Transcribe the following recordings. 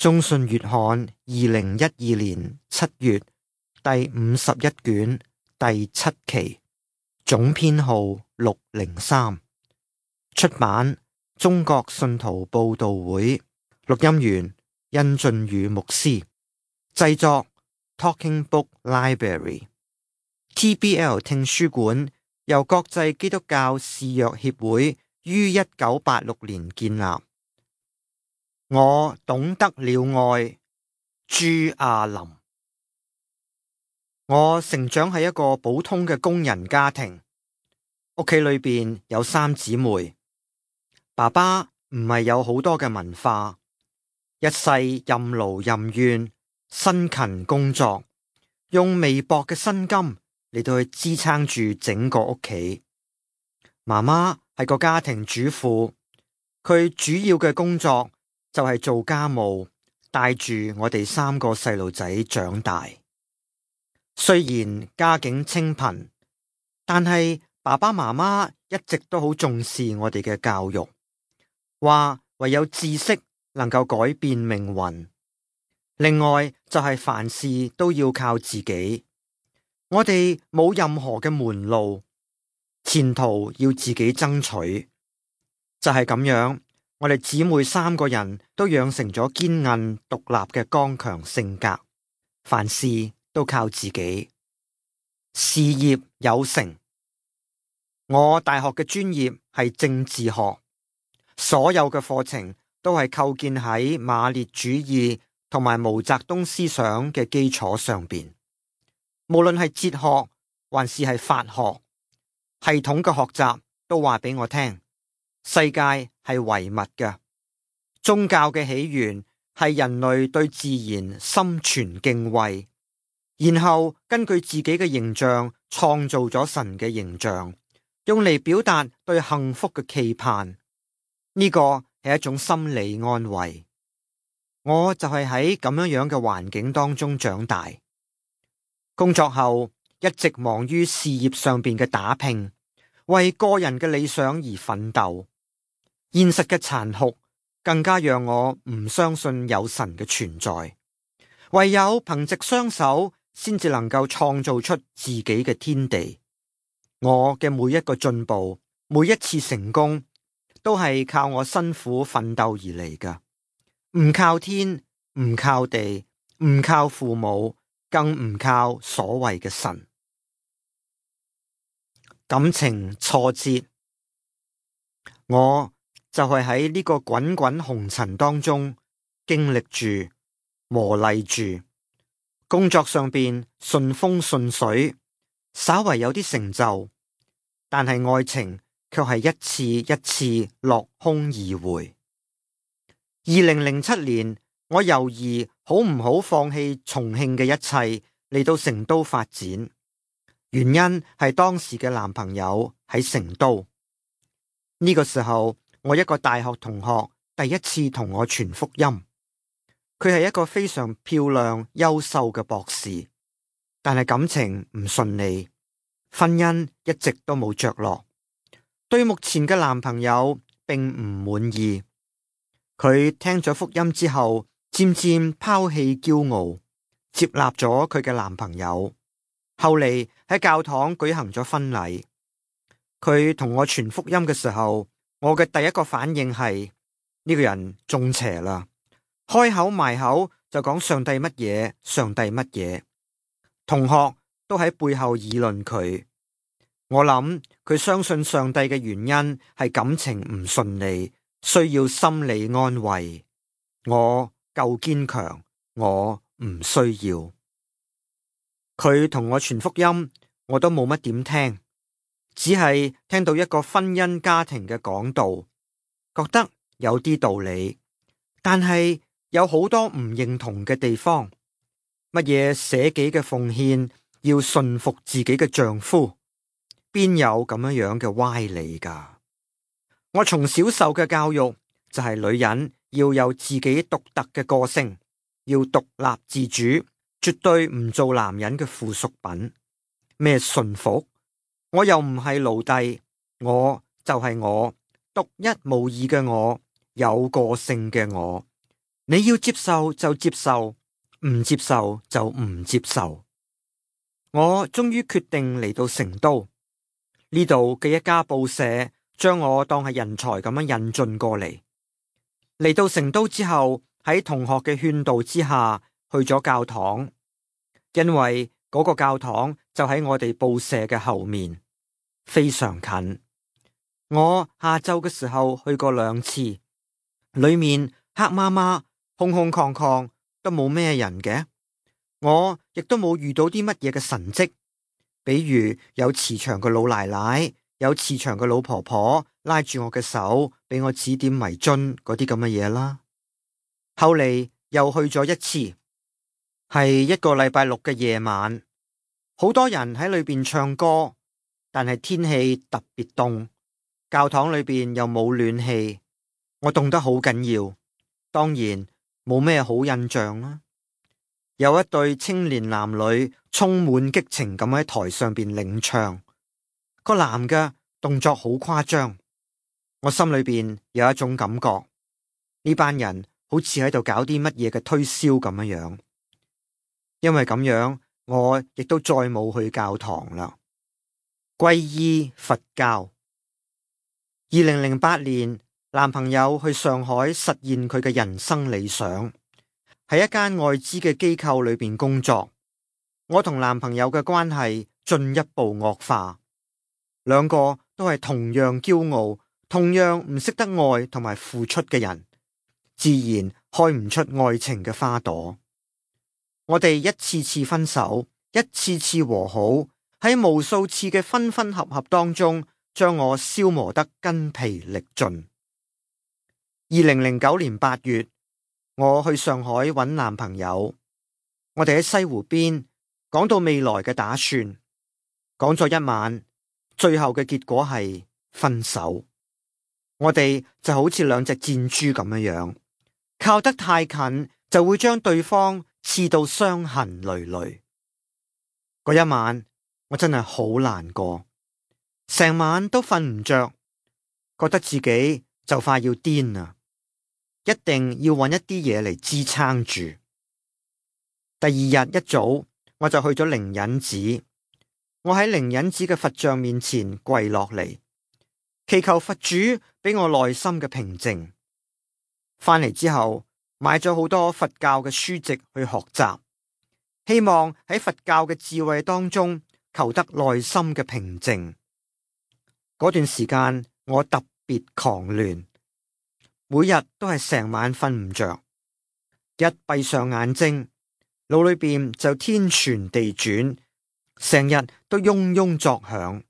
中信月刊2012年7月第51卷第7期，總編號603，出版中國信徒報道會，錄音員殷俊宇牧師，製作 Talking Book Library。TBL 聽書館由國際基督教視約協會於1986年建立。我懂得了愛，朱亞林。我成長喺一個普通嘅工人家庭，屋企裏邊有3姊妹。爸爸唔係有好多嘅文化，一世任勞任怨，辛勤工作，用微薄嘅薪金嚟到去支撐住整個屋企。媽媽係個家庭主婦，佢主要嘅工作就係做家務，帶住我哋3個細路仔長大。雖然家境清貧，但係爸爸媽媽一直都好重視我哋嘅教育，話唯有知識能夠改變命運。另外就係凡事都要靠自己，我哋冇任何嘅門路，前途要自己爭取。就係咁樣，我哋姊妹3個人都養成咗堅韌獨立嘅剛強性格，凡事都靠自己，事業有成。我大學嘅專業係政治學，所有嘅課程都係構建喺馬列主義同埋毛澤東思想嘅基礎上邊。無論係哲學還是係法學，系統嘅學習都話俾我聽，世界係唯物嘅，宗教嘅起源係人類對自然心存敬畏，然後根據自己嘅形象創造咗神嘅形象，用嚟表達對幸福嘅期盼。呢個係一種心理安慰。我就係喺咁樣嘅環境當中長大，工作後一直忙於事業上邊嘅打拼，為個人嘅理想而奮鬥。現實嘅殘酷更加讓我唔相信有神嘅存在，唯有憑藉雙手先至能夠創造出自己嘅天地。我嘅每一個進步，每一次成功，都係靠我辛苦奮鬥而嚟㗎，唔靠天，唔靠地，唔靠父母，更唔靠所謂嘅神。感情挫折，我就係喺呢個滾滾紅塵當中經歷住、磨礪住。工作上邊順風順水，稍為有啲成就，但係愛情卻係一次一次落空而回。2007年，我猶豫好唔好放棄重慶嘅一切嚟到成都發展，原因係當時嘅男朋友喺成都。呢個時候，我一個大學同學第一次同我傳福音，佢係一個非常漂亮優秀嘅博士，但係感情唔順利，婚姻一直都冇着落，對目前嘅男朋友並唔滿意。佢聽咗福音之後，漸漸拋棄驕傲，接納咗佢嘅男朋友。後嚟喺教堂舉行咗婚禮。佢同我傳福音嘅時候，我嘅第一個反應係呢個人中邪啦，開口埋口就講上帝乜嘢，上帝乜嘢。同學都喺背後議論佢。我諗佢相信上帝嘅原因係感情唔順利，需要心理安慰。我夠堅強，我唔需要。佢同我傳福音，我都冇乜點聽，只係聽到一個婚姻家庭嘅講道，覺得有啲道理，但係有好多唔認同嘅地方。乜嘢捨己嘅奉獻，要順服自己嘅丈夫，邊有咁樣嘅歪理㗎？我從小受嘅教育就係女人要有自己獨特嘅個性，要獨立自主，絕對唔做男人嘅附屬品。咩順服？我又唔係奴隸，我就係我，獨一無二嘅我，有個性嘅我。你要接受就接受，唔接受就唔接受。我終於決定嚟到成都，呢度嘅一家報社將我當係人才咁樣引進過嚟。嚟到成都之後，喺同學嘅勸導之下，去咗教堂，因為嗰個教堂就喺我哋報社嘅後面，非常近。我下晝嘅時候去過2次，裏面黑麻麻、空空曠曠，都冇咩人嘅。我亦都冇遇到啲乜嘢嘅神蹟，比如有慈祥嘅老奶奶，有慈祥嘅老婆婆拉住我嘅手，俾我指點迷津嗰啲咁嘅嘢啦。後嚟又去咗1次，係一個禮拜6嘅夜晚，好多人喺裏邊唱歌，但係天氣特別凍，教堂裏邊又冇暖氣，我凍得好緊要，當然冇咩好印象啦。有一對青年男女充滿激情咁喺台上邊領唱，個男嘅動作好誇張，我心裏邊有一種感覺，呢班人好似喺度搞啲乜嘢嘅推銷咁樣。因為咁樣，我亦都再冇去教堂啦。皈依佛教。2008年，男朋友去上海實現佢嘅人生理想。喺一間外資嘅機構裏邊工作，我同男朋友嘅關係進一步惡化，兩個都係同樣驕傲、同樣唔識得愛同埋付出嘅人，自然開唔出愛情嘅花朵。我哋一次次分手，一次次和好，喺無數次嘅分分合合當中，將我消磨得筋疲力盡。2009年8月，我去上海揾男朋友，我哋喺西湖邊講到未來嘅打算，講咗1晚，最後嘅結果係分手。我哋就好似2隻箭豬咁樣，靠得太近就會將對方刺到傷痕累累。嗰1晚我真係好難過，成晚都瞓唔着，覺得自己就快要癲啦。一定要揾一啲嘢嚟支撐住。第2日一早，我就去咗靈隱寺。我喺靈隱寺嘅佛像面前跪落嚟，祈求佛主俾我內心嘅平靜。翻嚟之後，買咗好多佛教嘅書籍去學習，希望喺佛教嘅智慧當中求得內心嘅平靜。嗰段時間，我特別狂亂。每日都係成晚瞓唔着，一閉上眼睛，腦裏邊就天旋地轉，成日都嗡嗡作響。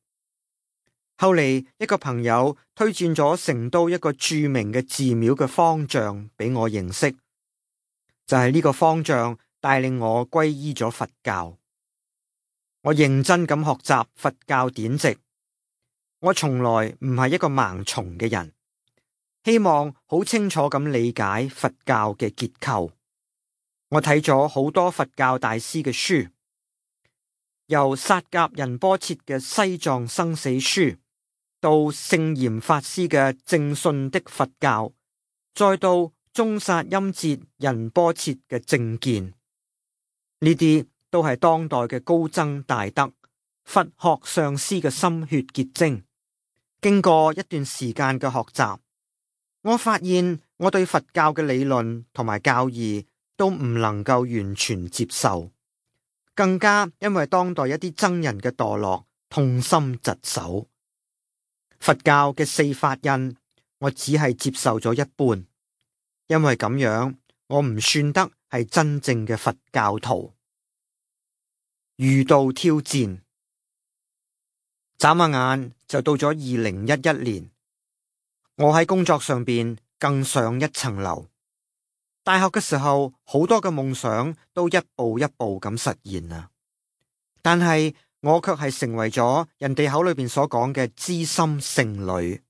後嚟一個朋友推薦咗成都一個著名嘅寺廟嘅方丈俾我認識，就係呢個方丈帶領我皈依咗佛教。我認真咁學習佛教典籍，我從來唔係一個盲從嘅人。希望好清楚咁理解佛教嘅結構。我睇咗好多佛教大師嘅書，由薩甲仁波切嘅《西藏生死書》，到聖嚴法師嘅《正信的佛教》，再到宗薩欽哲仁波切嘅《正見》，呢啲都係當代嘅高僧大德、佛學上師嘅心血結晶。經過一段時間嘅學習，我發現我對佛教嘅理論同埋教義都唔能夠完全接受，更加因為當代一啲僧人嘅墮落，痛心疾首。佛教嘅4法印，我只係接受咗一半，因為咁樣我唔算得係真正嘅佛教徒。遇到挑戰，眨下眼就到咗2011年。我喺工作上邊更上一層樓。大學嘅時候，好多嘅夢想都一步一步咁實現啦。但係我卻係成為咗人哋口裏邊所講嘅知心剩女。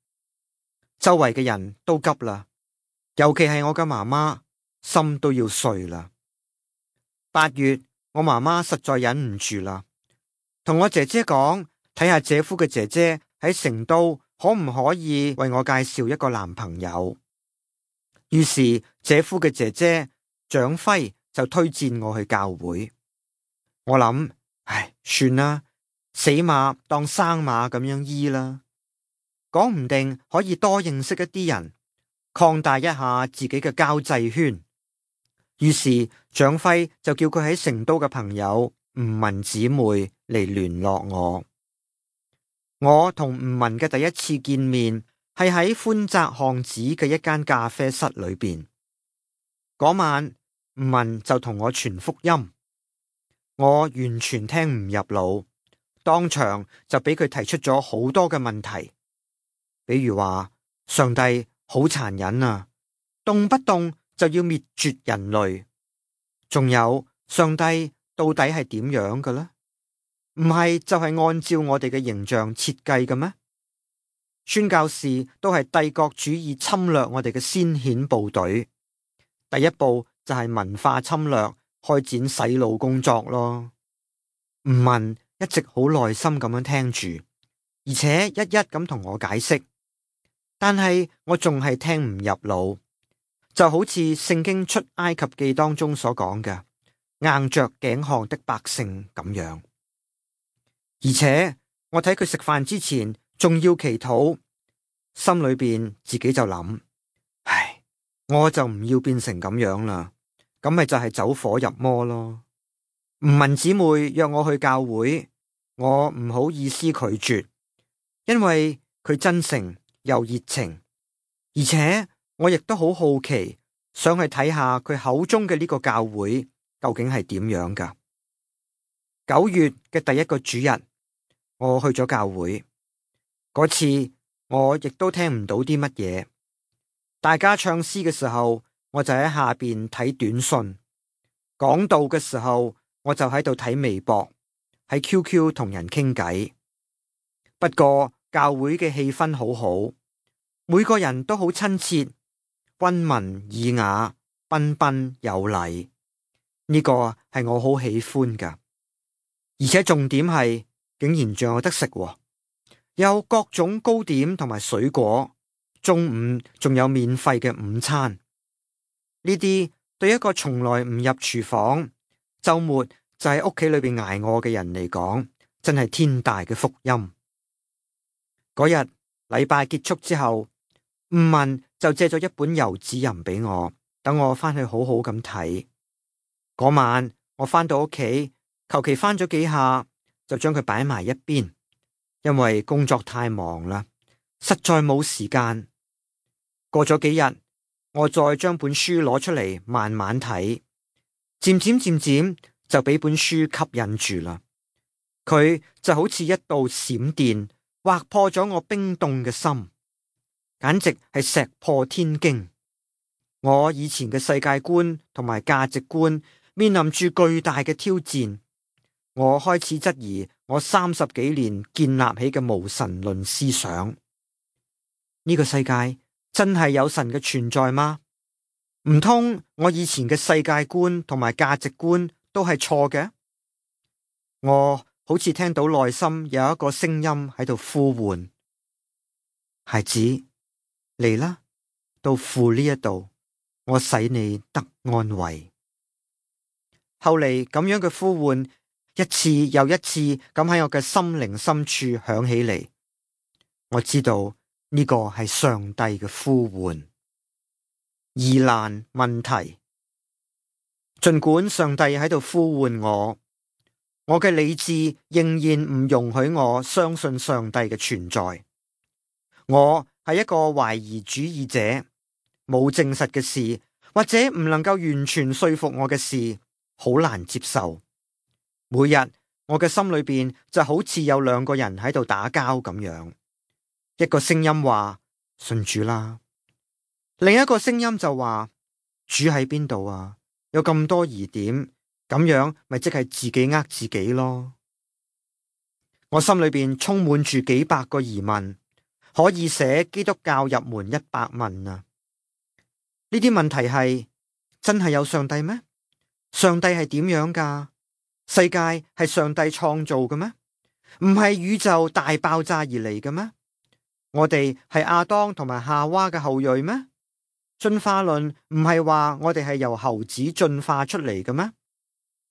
周圍嘅人都急啦，尤其係我嘅媽媽，心都要碎啦。8月，我媽媽實在忍唔住啦，同我姐姐講，睇下姐夫嘅姐姐喺成都，可唔可以為我介紹一個男朋友？於是姐夫嘅姐姐蔣輝就推薦我去教會。我諗，唉，算啦，死馬當生馬咁樣醫啦，講唔定可以多認識一啲人，擴大一下自己嘅交際圈。於是蔣輝就叫佢喺成都嘅朋友吳文姊妹嚟聯絡我。我同吳文嘅第一次見面係喺寬窄巷子嘅一間咖啡室裏邊。嗰晚吳文就同我傳福音，我完全聽唔入腦，當場就俾佢提出咗好多嘅問題，比如話上帝好殘忍啊，動不動就要滅絕人類，仲有上帝到底係點樣嘅呢？唔係就係按照我哋嘅形象設計嘅咩？宣教士都係帝國主義侵略我哋嘅先遣部隊，第一步就係文化侵略，開展洗腦工作咯。吳文一直好耐心咁樣聽住，而且一一咁同我解釋，但係我仲係聽唔入腦，就好似聖經出埃及記當中所講嘅硬着頸項的百姓咁樣。而且我睇佢食飯之前仲要祈禱，心裏邊自己就諗，唉，我就唔要變成咁樣啦，咁咪就係走火入魔咯。吳文姊妹約我去教會，我唔好意思拒絕，因為佢真誠又熱情，而且我亦都好好奇，想去睇下佢口中嘅呢個教會究竟係點樣噶。9月嘅第一個主日，我去咗教會，嗰次我亦都聽唔到啲乜嘢。大家唱詩嘅時候，我就喺下邊睇短信；講道嘅時候，我就喺度睇微博，喺 QQ 同人傾偈。不過教會嘅氣氛好好，每個人都好親切、溫文爾雅、彬彬有禮。呢個係我好喜歡噶，而且重點係，竟然仲有得食喎，有各種糕點同埋水果，中午仲有免費嘅午餐。呢啲對一個從來唔入廚房，周末就喺屋企裏邊挨餓嘅人嚟講，真係天大嘅福音。嗰日禮拜結束之後，吳文就借咗一本遊子吟俾我，等我翻去好好咁睇。嗰晚我翻到屋企，求其翻咗幾下，就將佢擺埋一邊，因為工作太忙啦，實在冇時間。過咗幾日，我再將本書攞出嚟慢慢睇，漸漸就俾本書吸引住啦。佢就好似一道閃電，劃破咗我冰凍嘅心，簡直係石破天驚。我以前嘅世界觀同埋價值觀面臨住巨大嘅挑戰。我開始質疑我30幾年建立起嘅無神論思想。呢個世界真係有神嘅存在嗎？唔通我以前嘅世界觀同埋價值觀都係錯嘅？我好似聽到內心有一個聲音喺度呼喚：孩子，嚟啦，到父呢一度，我使你得安慰。後嚟咁樣嘅呼喚，一次又一次咁喺我嘅心靈深處響起嚟。我知道呢個係上帝嘅呼喚。疑難問題，盡管上帝喺度呼喚我，我嘅理智仍然唔容許我相信上帝嘅存在。我係一個懷疑主義者，冇證實嘅事，或者唔能夠完全說服我嘅事，好難接受。每日我嘅心裏邊就好似有兩個人喺度打交咁樣，一個聲音話信主啦，另一個聲音就話主喺邊度啊？有咁多疑點，咁樣咪即係自己呃自己咯。我心裏邊充滿住幾百個疑問，可以寫基督教入門100問啊！呢啲問題係真係有上帝咩？上帝係點樣噶？世界係上帝創造嘅咩？唔係宇宙大爆炸而嚟嘅咩？我哋係亞當同埋夏娃嘅後裔咩？進化論唔係話我哋係由猴子進化出嚟嘅咩？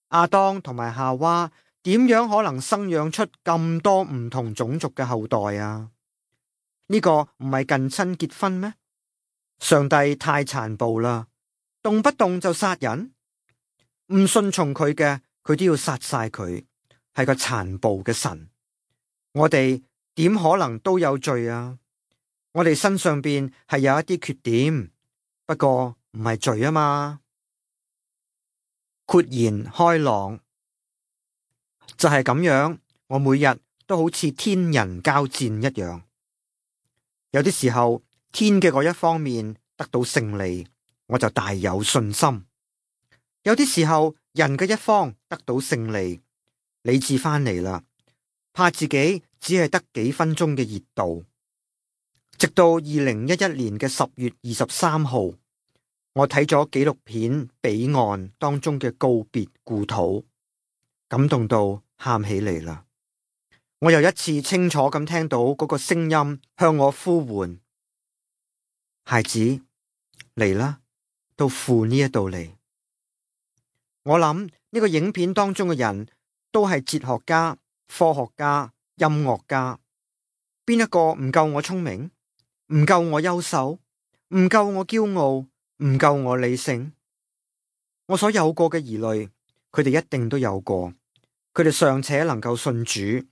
亞當同埋夏娃點樣可能生養出咁多唔同種族嘅後代啊？呢個唔係近親結婚咩？上帝太殘暴啦，動不動就殺人，唔順從佢嘅，佢都要殺晒佢，係個殘暴嘅神。我哋點可能都有罪啊？我哋身上邊係有一啲缺點，不過唔係罪啊嘛。豁然開朗就係咁樣，我每日都好似天人交戰一樣。有啲時候天嘅嗰一方面得到勝利，我就大有信心；有啲時候人嘅一方得到勝利，理智翻嚟啦，怕自己只係得幾分鐘嘅熱度。直到2011年嘅10月23號，我睇咗紀錄片《彼岸》當中嘅告別故土，感動到喊起嚟啦。我又一次清楚咁聽到嗰個聲音向我呼喚：孩子，嚟啦，到父呢一度嚟。我諗呢個影片當中嘅人都係哲學家、科學家、音樂家，邊一個唔夠我聰明？唔夠我優秀？唔夠我驕傲？唔夠我理性？我所有過嘅疑慮，佢哋一定都有過。佢哋尚且能夠信主，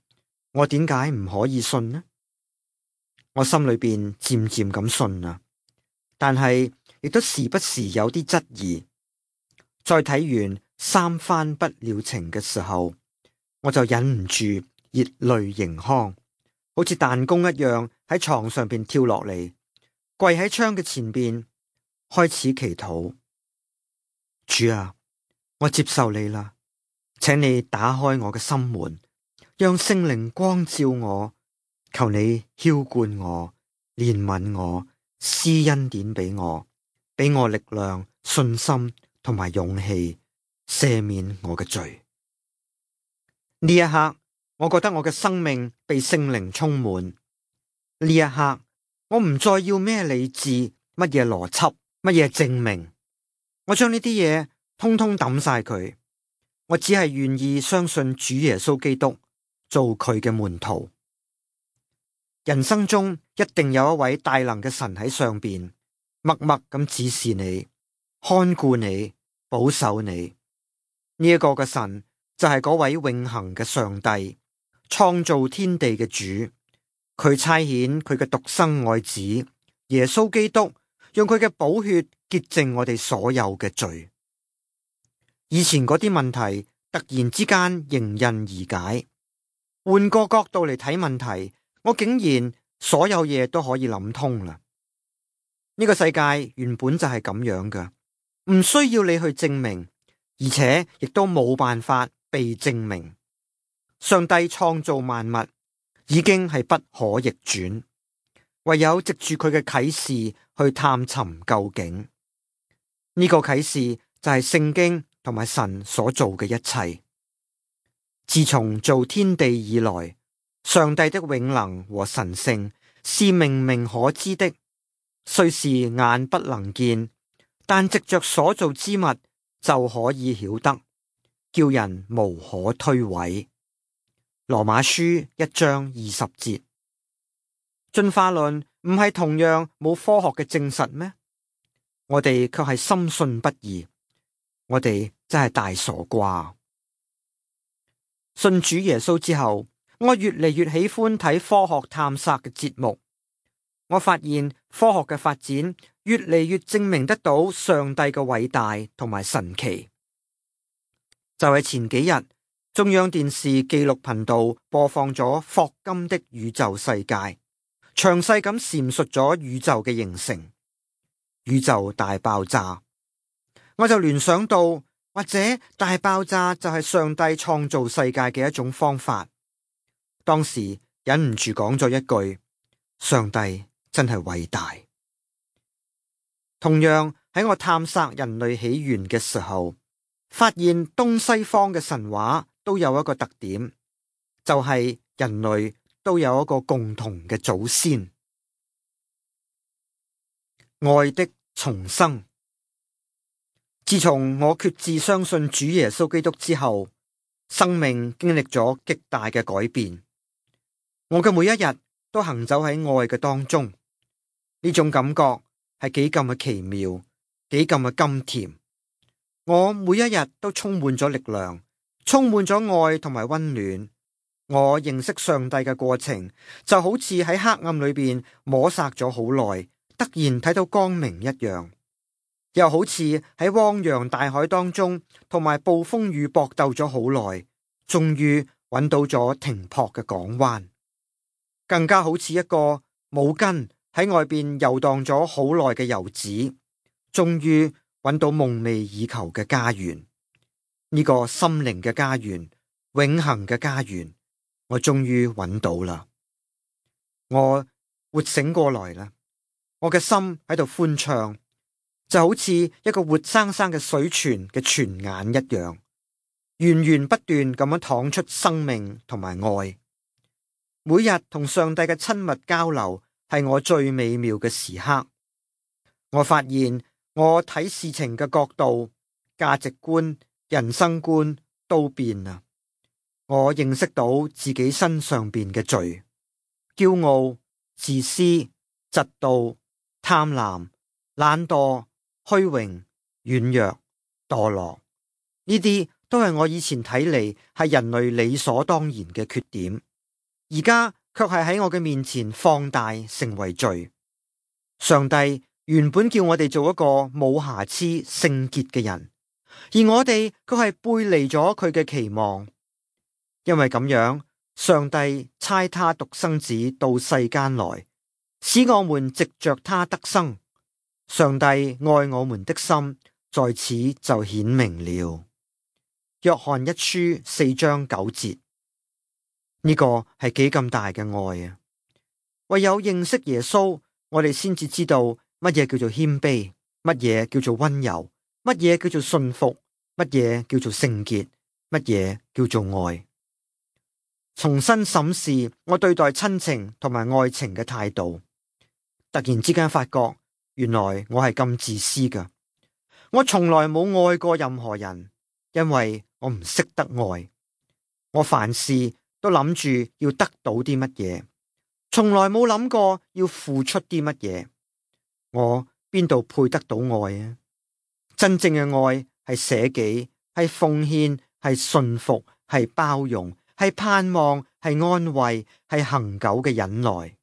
我點解唔可以信呢？我心裏邊漸漸咁信啦，但係亦都時不時有啲質疑。再睇完三番不了情嘅時候，我就忍唔住熱淚盈眶，好似彈弓一樣喺床上邊跳落嚟，跪喺窗嘅前邊，開始祈禱。主啊，我接受你啦，請你打開我嘅心門，讓聖靈光照我，求你澆灌我，憐憫我，施恩典俾我力量、信心同埋勇氣，赦免我嘅罪。呢一刻，我覺得我嘅生命被聖靈充滿。呢一刻，我唔再要咩理智、乜嘢邏輯、乜嘢證明，我將呢啲嘢通通抌晒佢。我只係願意相信主耶穌基督，做佢嘅門徒。人生中一定有一位大能嘅神喺上邊，默默咁指示你、看顧你、保守你。呢一個嘅神就係嗰位永恆嘅上帝，創造天地嘅主。佢差遣佢嘅獨生愛子耶穌基督，用佢嘅寶血潔淨我哋所有嘅罪。以前嗰啲問題突然之間迎刃而解。換個角度嚟睇問題，我竟然所有嘢都可以諗通啦。呢個世界原本就係咁樣㗎，唔需要你去證明，而且亦都冇辦法被證明。上帝創造萬物已經係不可逆轉，唯有藉住佢嘅啟示去探尋究竟。呢個啟示就係聖經同埋神所做嘅一切。自從造天地以來，上帝的永能和神性是明明可知的，雖是眼不能見，但藉着所造之物就可以曉得，叫人無可推諉。羅馬書1章20節。進化論唔係同樣冇科學嘅證實咩？我哋卻係深信不疑。我哋真係大傻瓜。信主耶穌之後，我越嚟越喜歡睇科學探索嘅節目。我發現科學嘅發展越嚟越證明得到上帝嘅偉大同埋神奇。就係前幾日，中央電視紀錄頻道播放咗霍金的宇宙世界，詳細咁闡述咗宇宙嘅形成。宇宙大爆炸，我就聯想到，或者大爆炸就係上帝創造世界嘅一種方法。當時忍唔住講咗一句：上帝真係偉大。同樣喺我探索人類起源嘅時候，發現東西方嘅神話都有一個特點，就係人類都有一個共同嘅祖先。愛的重生。自從我決志相信主耶穌基督之後，生命經歷咗極大嘅改變。我嘅每一日都行走喺愛嘅當中，呢種感覺係幾咁嘅奇妙，幾咁嘅甘甜。我每一日都充滿咗力量，充滿咗愛同埋溫暖。我認識上帝嘅過程就好似喺黑暗裏邊摸索咗好耐，突然睇到光明一樣，又好似喺汪洋大海當中同埋暴風雨搏鬥咗好耐，終於揾到咗停泊嘅港灣。更加好似一個冇根喺外邊遊蕩咗好耐嘅遊子，終於揾到夢寐以求嘅家園。呢個心靈嘅家園，永恆嘅家園，我終於揾到啦！我活醒過來啦！我嘅心喺度歡暢，就好似一個活生生嘅水泉嘅泉眼一樣，源源不斷咁樣淌出生命同埋愛。每日同上帝嘅親密交流係我最美妙嘅時刻。我發現我睇事情嘅角度、價值觀、人生觀都變啦。我認識到自己身上邊嘅罪，驕傲、自私、嫉妒、貪婪、懶惰、虛榮、軟弱、墮落，呢啲都係我以前睇嚟係人類理所當然嘅缺點，而家卻係喺我嘅面前放大成為罪。上帝原本叫我哋做一個冇瑕疵、聖潔嘅人，而我哋卻係背離咗佢嘅期望。因為咁樣，上帝差他獨生子到世間來，使我們藉着他得生。上帝愛我們的心在此就顯明了。約翰一書4章9節，呢個係幾咁大嘅愛啊！唯有認識耶穌，我哋先至知道乜嘢叫做謙卑，乜嘢叫做溫柔，乜嘢叫做信服，乜嘢叫做聖潔，乜嘢叫做愛。重新審視我對待親情同埋愛情嘅態度，突然之間發覺，原來我係咁自私噶。我從來冇愛過任何人，因為我唔識得愛。我凡事都諗住要得到啲乜嘢，從來冇諗過要付出啲乜嘢。我邊度配得到愛啊？真正嘅愛係捨己，係奉獻，係信服，係包容，係盼望，係安慰，係恆久嘅忍耐。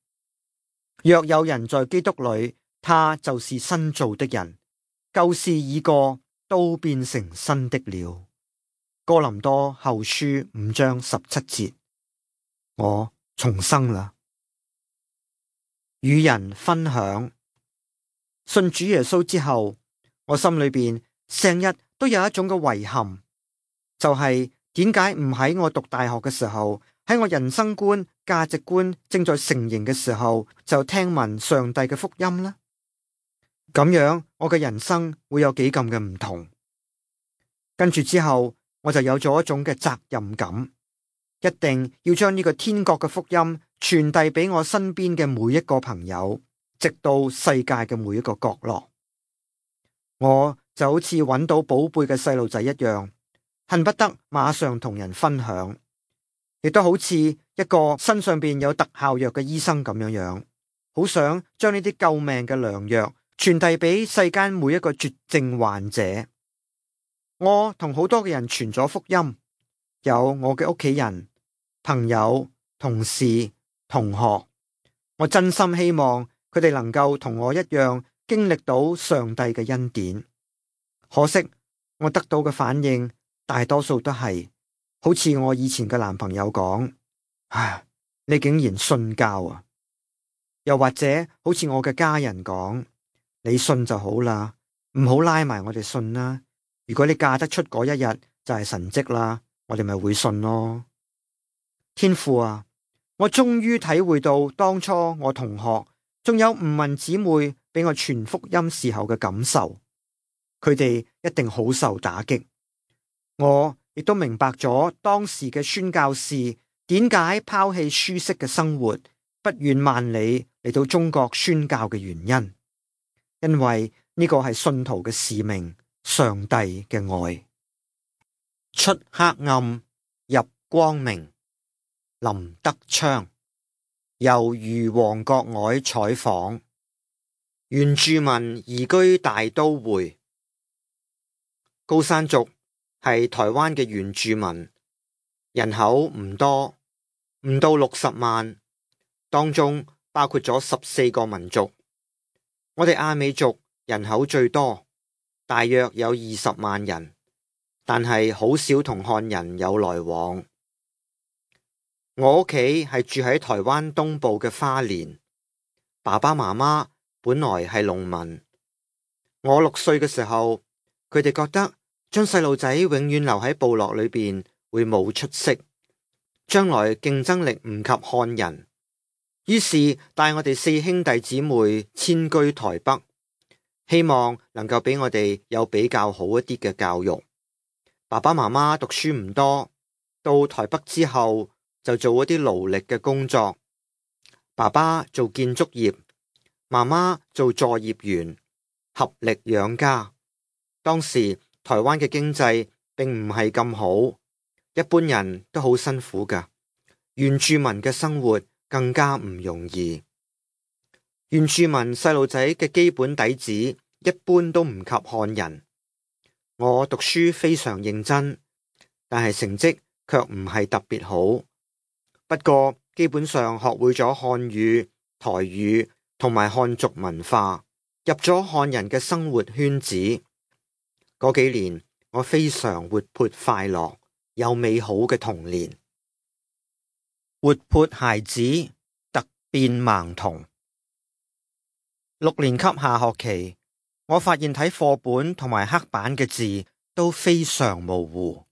若有人在基督裏，他就是新造的人，舊事已過，都變成新的了。哥林多後書5章17節，我重生啦。與人分享，信主耶穌之後，我心裏邊成日都有一種嘅遺憾，就係點解唔喺我讀大學嘅時候，喺我人生觀、價值觀正在成型嘅時候，就聽聞上帝嘅福音呢？咁樣我嘅人生會有幾咁嘅唔同。跟住之後，我就有咗一種嘅責任感，一定要將呢個天國嘅福音傳遞俾我身邊嘅每一個朋友，直到世界嘅每一個角落。我就好似揾到寶貝嘅細路仔一樣，恨不得馬上同人分享，亦都好似一個身上邊有特效藥嘅醫生咁樣，好想將呢啲救命嘅良藥傳遞俾世間每一個絕症患者。我同好多嘅人傳咗福音，有我嘅屋企人、朋友、同事、同學。我真心希望佢哋能夠同我一樣經歷到上帝嘅恩典。可惜我得到嘅反應大多數都係好似我以前嘅男朋友講：唉，你竟然信教啊！又或者好似我嘅家人講：你信就好啦，唔好拉埋我哋信啦。如果你嫁得出嗰一日就係神蹟啦，我哋咪會信咯。天父啊，我終於體會到當初我同學仲有吳文姊妹俾我傳福音時候嘅感受，佢哋一定好受打擊。我亦都明白咗當時嘅宣教士點解拋棄舒適嘅生活，不遠萬里嚟到中國宣教嘅原因，因為呢個係信徒嘅使命，上帝嘅愛。出黑暗，入光明。林德昌。由余黃國外採訪。原住民移居大都會。高山族係台灣嘅原住民，人口唔多，唔到60萬，當中包括咗14個民族。我哋阿美族人口最多，大約有20萬人，但係好少同漢人有來往。我屋企係住喺台灣東部嘅花蓮，爸爸媽媽本來係農民。我6歲嘅時候，佢哋覺得將細路仔永遠留喺部落裏邊會冇出息，將來競爭力唔及漢人，於是帶我哋4兄弟姊妹遷居台北，希望能夠俾我哋有比較好一啲嘅教育。爸爸媽媽讀書唔多，到台北之後就做一啲勞力嘅工作。爸爸做建築業，媽媽做作業員，合力養家。當時台灣嘅經濟並唔係咁好，一般人都好辛苦㗎，原住民嘅生活更加唔容易。原住民細路仔嘅基本底子一般都唔及漢人。我讀書非常認真，但係成績卻唔係特別好。不過基本上學會咗漢語、台語同埋漢族文化，入咗漢人嘅生活圈子。嗰幾年我非常活潑快樂，有美好嘅童年。活潑孩子，突變盲童。6年級下學期，我發現睇課本同埋黑板嘅字都非常模糊。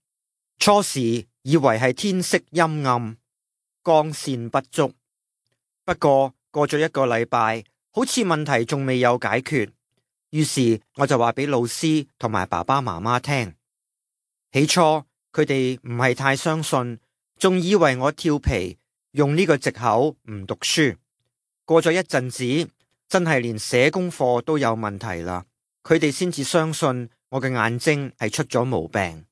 初時以為係天色陰暗，光線不足。不過過咗1個禮拜，好似問題仲未有解決，於是我就話俾老師同埋爸爸媽媽聽。起初佢哋唔係太相信，仲以為我調皮，用呢個藉口唔讀書。過咗一陣子，真係連寫功課都有問題啦，佢哋先至相信我嘅眼睛係出咗毛病。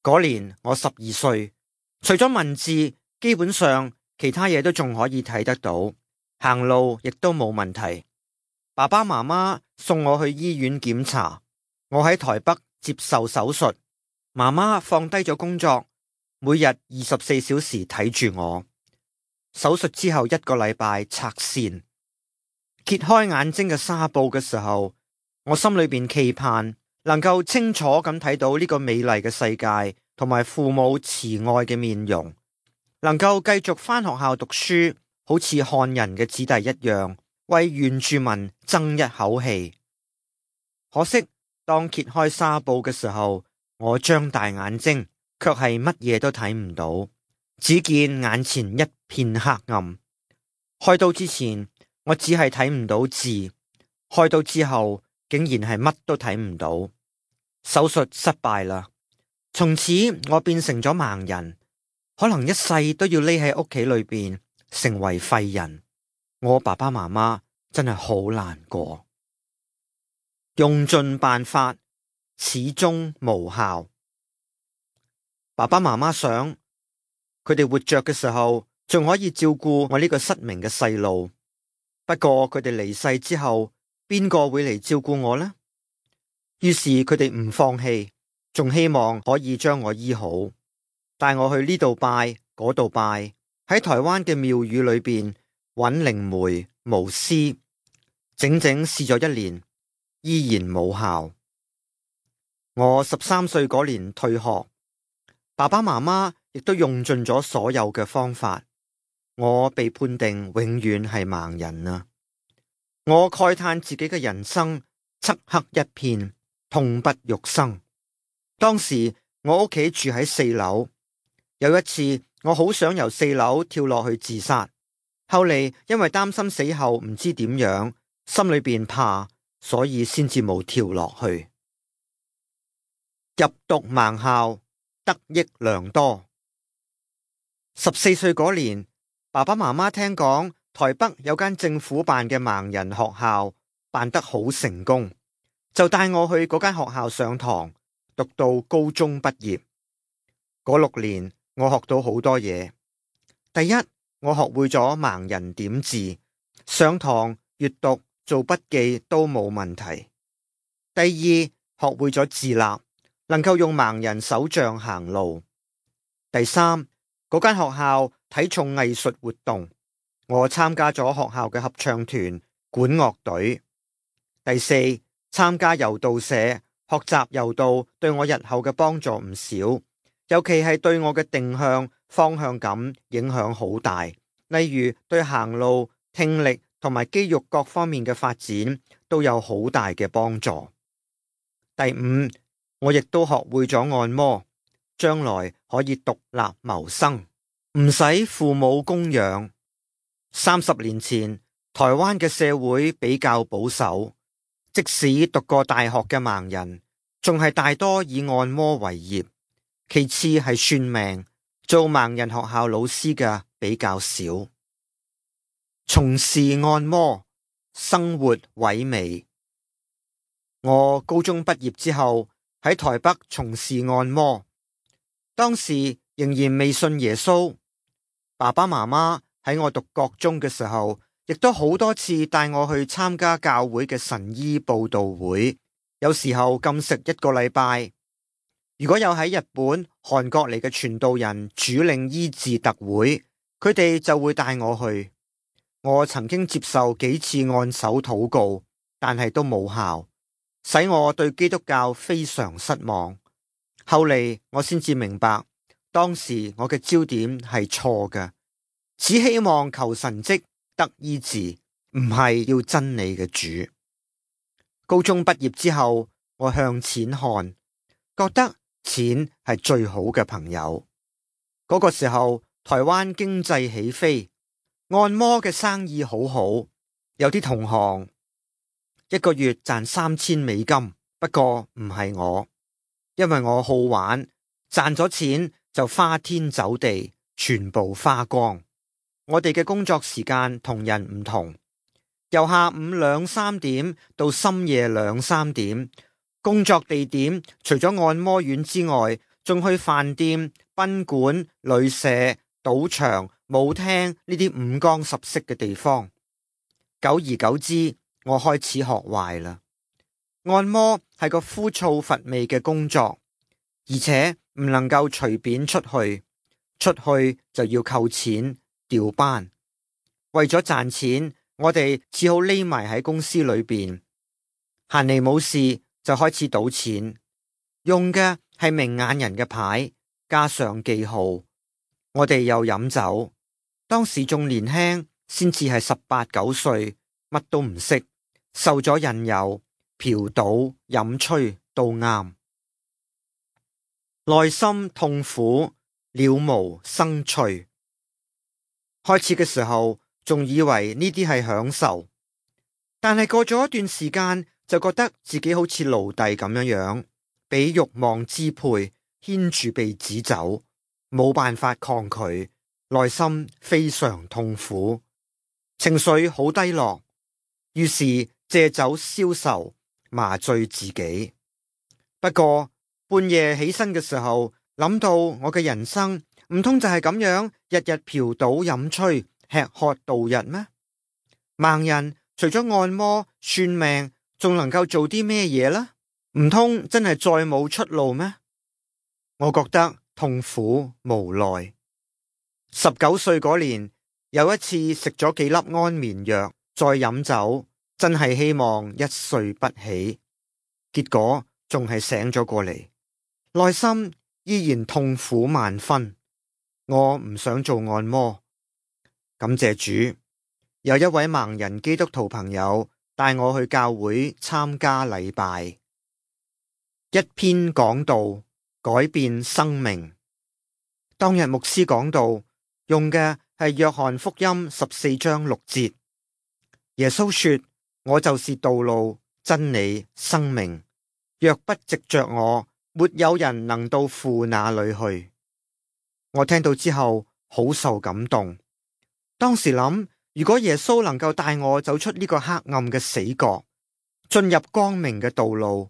嗰年我12歲，除咗文字，基本上其他嘢都仲可以睇得到，行路亦都冇問題。爸爸媽媽送我去醫院檢查，我喺台北接受手術，媽媽放低咗工作，每日24小時睇住我。手術之後1個禮拜拆線，揭開眼睛嘅紗布嘅時候，我心裏邊期盼能夠清楚咁睇到呢個美麗嘅世界，同埋父母慈愛嘅面容，能夠繼續返學校讀書，好似漢人嘅子弟一樣，為原住民爭一口氣。可惜當揭開紗布嘅時候，我張大眼睛，卻係乜嘢都睇唔到，只見眼前一片黑暗。開刀之前，我只係睇唔到字，開刀之後竟然係乜都睇唔到。手術失敗啦，從此我變成咗盲人，可能一世都要匿喺屋企裏邊，成為廢人。我爸爸媽媽真係好難過，用盡辦法，始終無效。爸爸媽媽想，佢哋活着嘅時候仲可以照顧我呢個失明嘅細路。不過佢哋離世之後，邊個會嚟照顧我呢？於是佢哋唔放棄，仲希望可以將我醫好，帶我去呢度拜嗰度拜，喺台灣嘅廟宇裏邊揾靈媒巫師，整整試咗1年，依然冇效。我13歲嗰年退學，爸爸媽媽亦都用盡咗所有嘅方法，我被判定永遠係盲人啊！我慨嘆自己嘅人生漆黑一片，痛不欲生。當時我屋企住喺4樓，有一次我好想由4樓跳落去自殺，後嚟因為擔心死後唔知點樣，心裏邊怕，所以先至冇跳落去。入讀盲校，得益良多。14歲嗰年，爸爸媽媽聽講台北有間政府辦嘅盲人學校辦得好成功，就帶我去嗰間學校上堂，讀到高中畢業。嗰6年，我學到好多嘢。第一，我學會咗盲人點字，上堂閱讀做筆記都冇問題。第二，學會咗自立，能夠用盲人手杖行路。第三，嗰間學校睇重藝術活動，我參加咗學校嘅合唱團、管樂隊。第四，參加柔道社，學習柔道對我日後嘅幫助唔少，尤其係對我嘅定向、方向感影響好大。例如對行路、聽力同埋肌肉各方面嘅發展都有好大嘅幫助。第五，我亦都學會咗按摩，將來可以獨立謀生，唔使父母供養。30年前，台灣嘅社會比較保守，即使讀過大學嘅盲人，仲係大多以按摩為業，其次係算命，做盲人學校老師嘅比較少。從事按摩，生活萎靡。我高中畢業之後喺台北從事按摩，當時仍然未信耶穌。爸爸媽媽喺我讀國中嘅時候，亦都好多次帶我去參加教會嘅神醫佈道會，有時候禁食1個禮拜。如果有喺日本、韓國嚟嘅傳道人主領醫治特會，佢哋就會帶我去。我曾經接受幾次按手禱告，但係都冇效，使我對基督教非常失望。後嚟我先至明白，當時我嘅焦點係錯嘅，只希望求神蹟得醫治，唔係要真理嘅主。高中畢業之後，我向錢看，覺得錢係最好嘅朋友。嗰個時候，台灣經濟起飛，按摩嘅生意好好，有啲同行1個月賺$3000，不過唔係我，因為我好玩，賺咗錢就花天酒地，全部花光。我哋嘅工作時間同人唔同，由下午2、3點到深夜2、3點，工作地點除咗按摩院之外，仲去飯店、賓館、旅社、賭場、舞廳呢啲五光十色嘅地方。久而久之，我開始學壞啦。按摩係個枯燥乏味嘅工作，而且唔能夠隨便出去，出去就要扣錢調班。為咗賺錢，我哋只好匿埋喺公司裏邊，閒嚟冇事就開始賭錢，用嘅係明眼人嘅牌，加上記號。我哋又飲酒，當時仲年輕，先至係18、19歲，乜都唔識，受咗引誘，嫖賭飲吹都啱。內心痛苦，了無生趣。開始嘅時候仲以為呢啲係享受，但係過咗一段時間就覺得自己好似奴隸咁樣，俾慾望支配，牽住鼻子走，冇辦法抗拒，內心非常痛苦，情緒好低落，於是借酒消愁，麻醉自己。不過半夜起身嘅時候，諗到我嘅人生唔通就係咁樣，日日嫖賭飲吹，吃喝度日咩？盲人除咗按摩、算命，仲能夠做啲咩嘢呢？唔通真係再冇出路咩？我覺得痛苦無奈。19歲嗰年，有一次食咗幾粒安眠藥，再飲酒，真係希望一睡不起，結果仲係醒咗過嚟，內心依然痛苦萬分。我唔想做按摩。感謝主，有一位盲人基督徒朋友帶我去教會參加禮拜。一篇講道改變生命。當日牧師講道用嘅係約翰福音14章6節。耶穌說：我就是道路、真理、生命，若不藉着我，沒有人能到父那裏去。我聽到之後好受感動。當時諗，如果耶穌能夠帶我走出呢個黑暗嘅死角，進入光明嘅道路。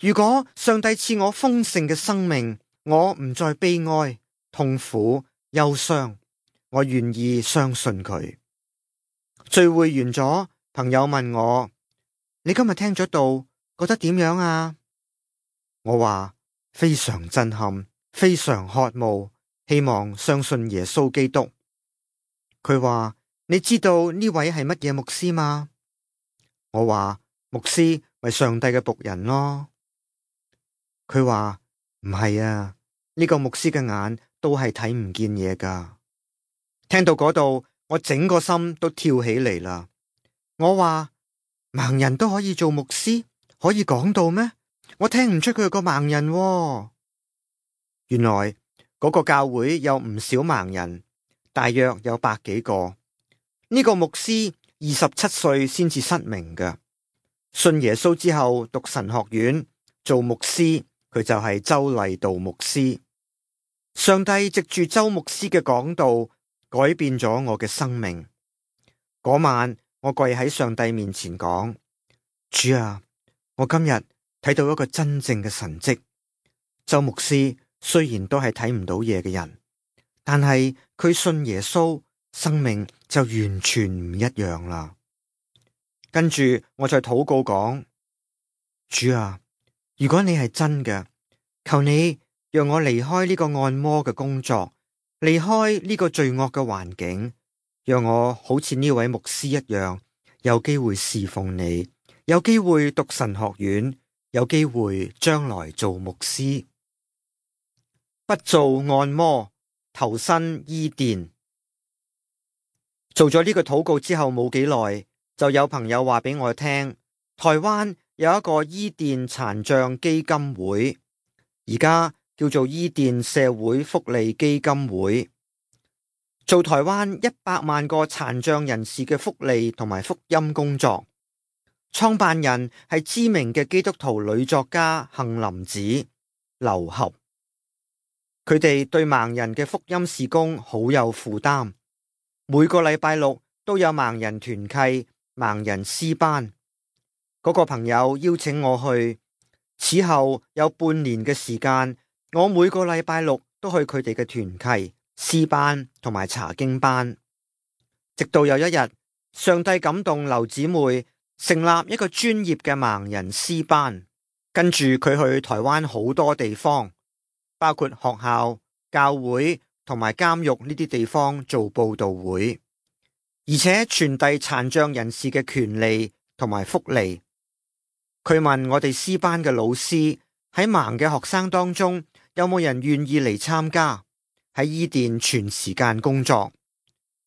如果上帝賜我豐盛嘅生命，我唔再悲哀、痛苦、憂傷，我願意相信佢。聚會完咗，朋友問我：你今日聽咗道，覺得點樣啊？我話非常震撼，非常渴慕，希望相信耶穌基督。佢話：你知道呢位係乜嘢牧師嗎？我話：牧師咪上帝嘅僕人咯。佢話：唔係啊，呢個牧師嘅眼都係睇唔見嘢噶。聽到嗰度，我整個心都跳起嚟啦。我話：盲人都可以做牧師，可以講道咩？我聽唔出佢係個盲人喎。原來嗰個教會有唔少盲人，大約有100幾個。呢個牧師27歲先至失明嘅，信耶穌之後讀神學院做牧師。佢就係周勵道牧師。上帝藉住周牧師嘅講道，改變咗我嘅生命。嗰晚，我跪喺上帝面前講：主啊，我今日睇到一個真正嘅神蹟。周牧師雖然都係睇唔到嘢嘅人，但係佢信耶穌，生命就完全唔一樣啦。跟住我再禱告講：主啊，如果你係真嘅，求你讓我離開呢個按摩嘅工作，離開呢個罪惡嘅環境，讓我好似呢位牧師一樣，有機會侍奉你，有機會讀神學院，有機會將來做牧師。不做按摩，投身伊甸。做咗呢個禱告之後冇幾耐，就有朋友話俾我聽，台灣有一個伊甸殘障基金會，而家叫做伊甸社會福利基金會，做台灣100萬個殘障人士嘅福利同埋福音工作。創辦人係知名嘅基督徒女作家杏林子、劉俠。佢哋對盲人嘅福音事工好有負擔，每個禮拜六都有盲人團契、盲人詩班。嗰個朋友邀請我去，此後有半年嘅時間，我每個禮拜六都去佢哋嘅團契、詩班同埋查經班。直到有一日，上帝感動劉姊妹成立一個專業嘅盲人詩班，跟住佢去台灣好多地方，包括學校、教會同埋監獄呢啲地方做佈道會，而且傳遞殘障人士嘅權利同埋福利。佢問我哋詩班嘅老師，喺盲嘅學生當中有冇人願意嚟參加，喺伊甸全時間工作。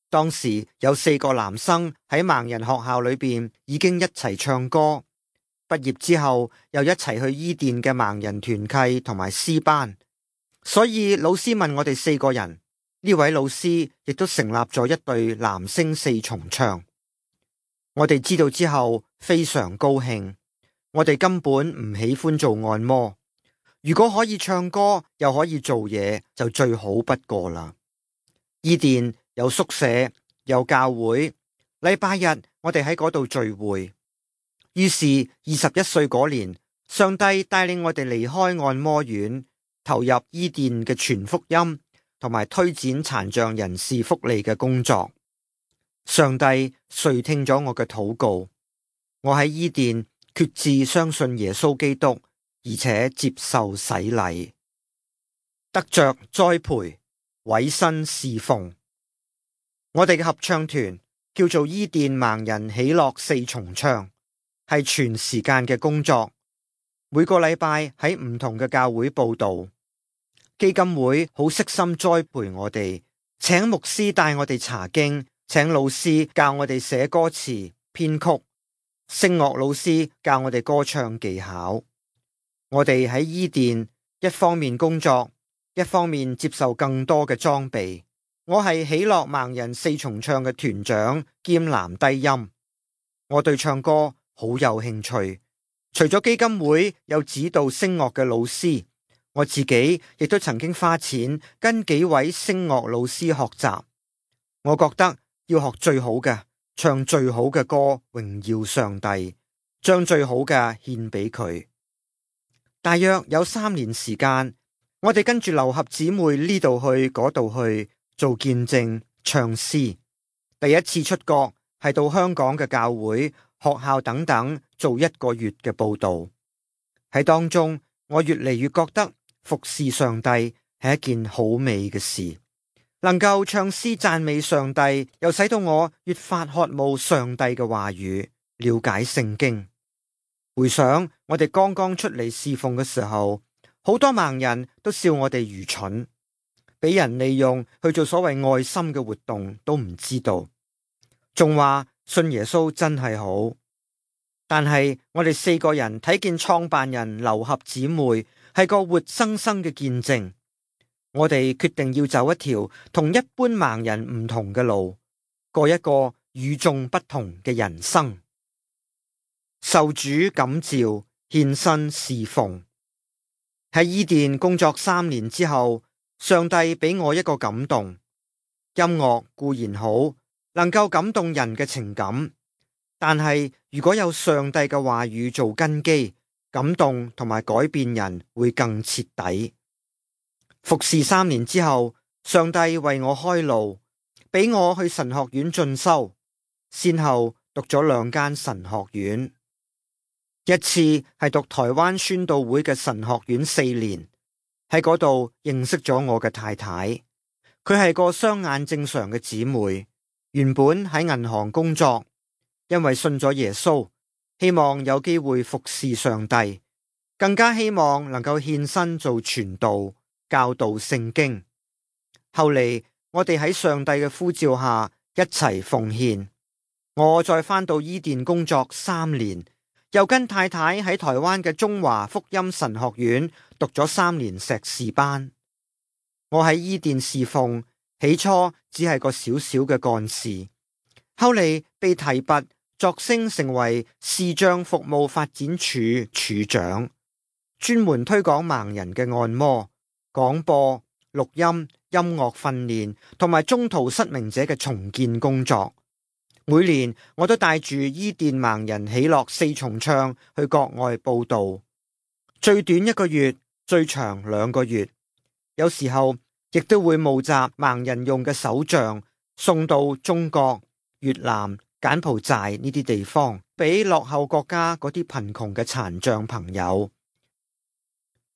當時有4個男生喺盲人學校裏邊已經一齊唱歌，畢業之後又一齊去伊甸嘅盲人團契同埋詩班。所以老師問我哋4個人，呢位老師亦都成立咗一隊男聲4重唱。我哋知道之後非常高興。我哋根本唔喜歡做按摩，如果可以唱歌又可以做嘢，就最好不過啦。伊甸有宿舍，有教會，禮拜日我哋喺嗰度聚會。於是21歲嗰年，上帝帶領我哋離開按摩院，投入伊甸嘅傳福音同埋推展殘障人士福利嘅工作。上帝垂聽咗我嘅禱告，我喺伊甸決志相信耶穌基督，而且接受洗禮，得着栽培，委身侍奉。我哋嘅合唱團叫做伊甸盲人喜樂4重唱，係全時間嘅工作，每個禮拜喺唔同嘅教會佈道。基金會好悉心栽培我哋，請牧師帶我哋查經，請老師教我哋寫歌詞、編曲。聲樂老師教我哋歌唱技巧。我哋喺伊甸一方面工作，一方面接受更多嘅裝備。我係喜樂盲人4重唱嘅團長兼男低音。我對唱歌好有興趣，除咗基金會有指導聲樂嘅老師，我自己亦都曾經花錢跟幾位聲樂老師學習。我覺得要學最好嘅，唱最好嘅歌，榮耀上帝，將最好嘅獻俾佢。大約有3年時間，我哋跟住劉合姊妹呢度去嗰度去做見證、唱詩。第一次出國係到香港嘅教會、學校等等做1個月嘅佈道。喺當中，我越嚟越覺得服侍上帝係一件好美嘅事。能夠唱詩讚美上帝，又使到我越發渴慕上帝嘅話語，了解聖經。回想我哋剛剛出嚟侍奉嘅時候，好多盲人都笑我哋愚蠢，俾人利用去做所謂愛心嘅活動都唔知道，仲話信耶穌真係好。但係我哋4個人睇見創辦人劉合姊妹係個活生生嘅見證，我哋決定要走一條同一般盲人唔同嘅路，過一個與眾不同嘅人生。受主感召，獻身侍奉。喺伊甸工作3年之後，上帝俾我一個感動。音樂固然好，能夠感動人嘅情感，但係如果有上帝嘅話語做根基，感動同埋改變人會更徹底。服侍3年之後，上帝為我開路，俾我去神學院進修，先後讀咗2間神學院。一次係讀台灣宣道會嘅神學院4年，喺嗰度認識咗我嘅太太。佢係個雙眼正常嘅姊妹，原本喺銀行工作，因為信咗耶穌，希望有機會服侍上帝，更加希望能夠獻身做傳道、教導聖經。後嚟我哋喺上帝嘅呼召下一齊奉獻。我再返到伊甸工作3年。又跟太太喺台灣嘅中華福音神學院讀咗3年碩士班。我喺伊甸侍奉，起初只係個小小嘅幹事，後嚟被提拔，擢升成為視障服務發展處處長，專門推廣盲人嘅按摩、廣播、錄音、音樂訓練同埋中途失明者嘅重建工作。每年我都帶住伊甸盲人喜樂4重唱去國外佈道，最短1個月，最長2個月。有時候亦都會募集盲人用嘅手杖，送到中國、越南、柬埔寨呢啲地方，俾落後國家嗰啲貧窮嘅殘障朋友。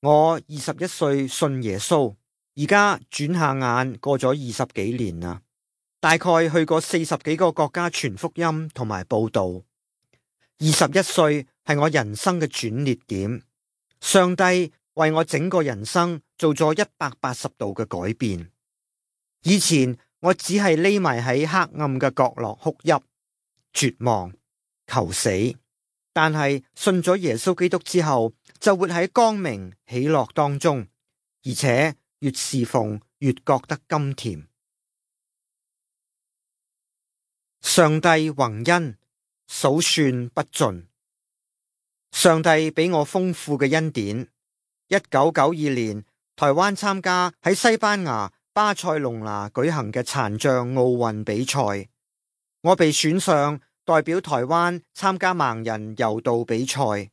我21歲信耶穌，而家轉下眼過咗20幾年啦。大概去過40幾個國家傳福音同埋佈道。21歲係我人生嘅轉捩點，上帝為我整個人生做咗180度嘅改變。以前我只係匿埋喺黑暗嘅角落哭泣、絕望、求死，但係信咗耶穌基督之後，就活喺光明喜樂當中，而且越侍奉越覺得甘甜。上帝宏恩，數算不盡。上帝俾我豐富嘅恩典。1992年，台灣參加喺西班牙巴塞隆拿舉行嘅殘障奧運比賽，我被選上代表台灣參加盲人柔道比賽。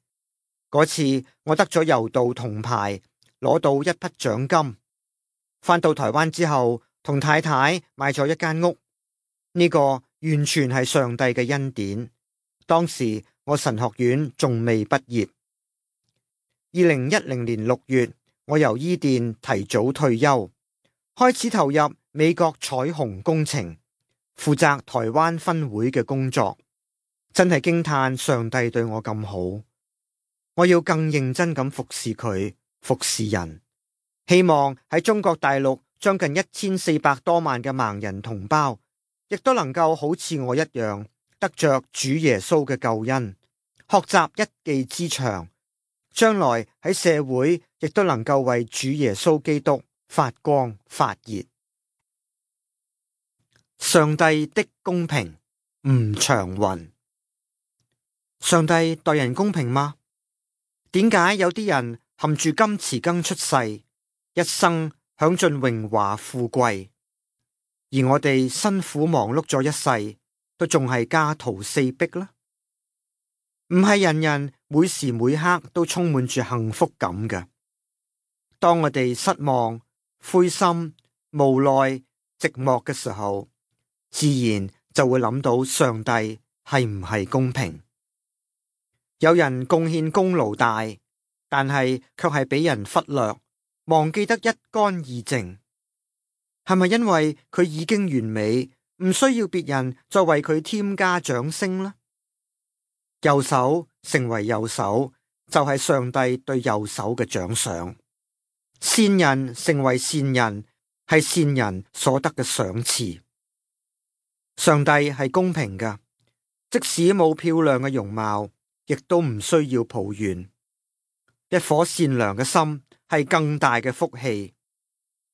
嗰次我得咗柔道銅牌，攞到一筆獎金。返到台灣之後，同太太買咗1間屋。呢個完全係上帝嘅恩典。當時我神學院仲未畢業。2010年6月，我由伊甸提早退休，開始投入美國彩虹工程，負責台灣分會嘅工作。真係驚嘆上帝對我咁好。我要更認真咁服侍佢，服侍人。希望喺中國大陸將近1400多萬嘅盲人同胞，亦都能夠好似我一樣，得着主耶穌嘅救恩，學習一技之長，將來喺社會亦都能夠為主耶穌基督發光發熱。上帝的公平，吳長雲。上帝待人公平嗎？點解有啲人含住金匙羹出世，一生享盡榮華富貴，而我哋辛苦忙碌咗一世，都仲係家徒四壁呢？唔係人人每時每刻都充滿住幸福感嘅。當我哋失望、灰心、無奈、寂寞嘅時候，自然就會諗到上帝係唔係公平？有人貢獻功勞大，但係卻係俾人忽略，忘記得一乾二淨。係咪因為佢已經完美，唔需要別人再為佢添加掌聲呢？右手成為右手，就係上帝對右手嘅獎賞；善人成為善人，係善人所得嘅賞賜。上帝係公平㗎，即使冇漂亮嘅容貌，亦都唔需要抱怨。一顆善良嘅心係更大嘅福氣，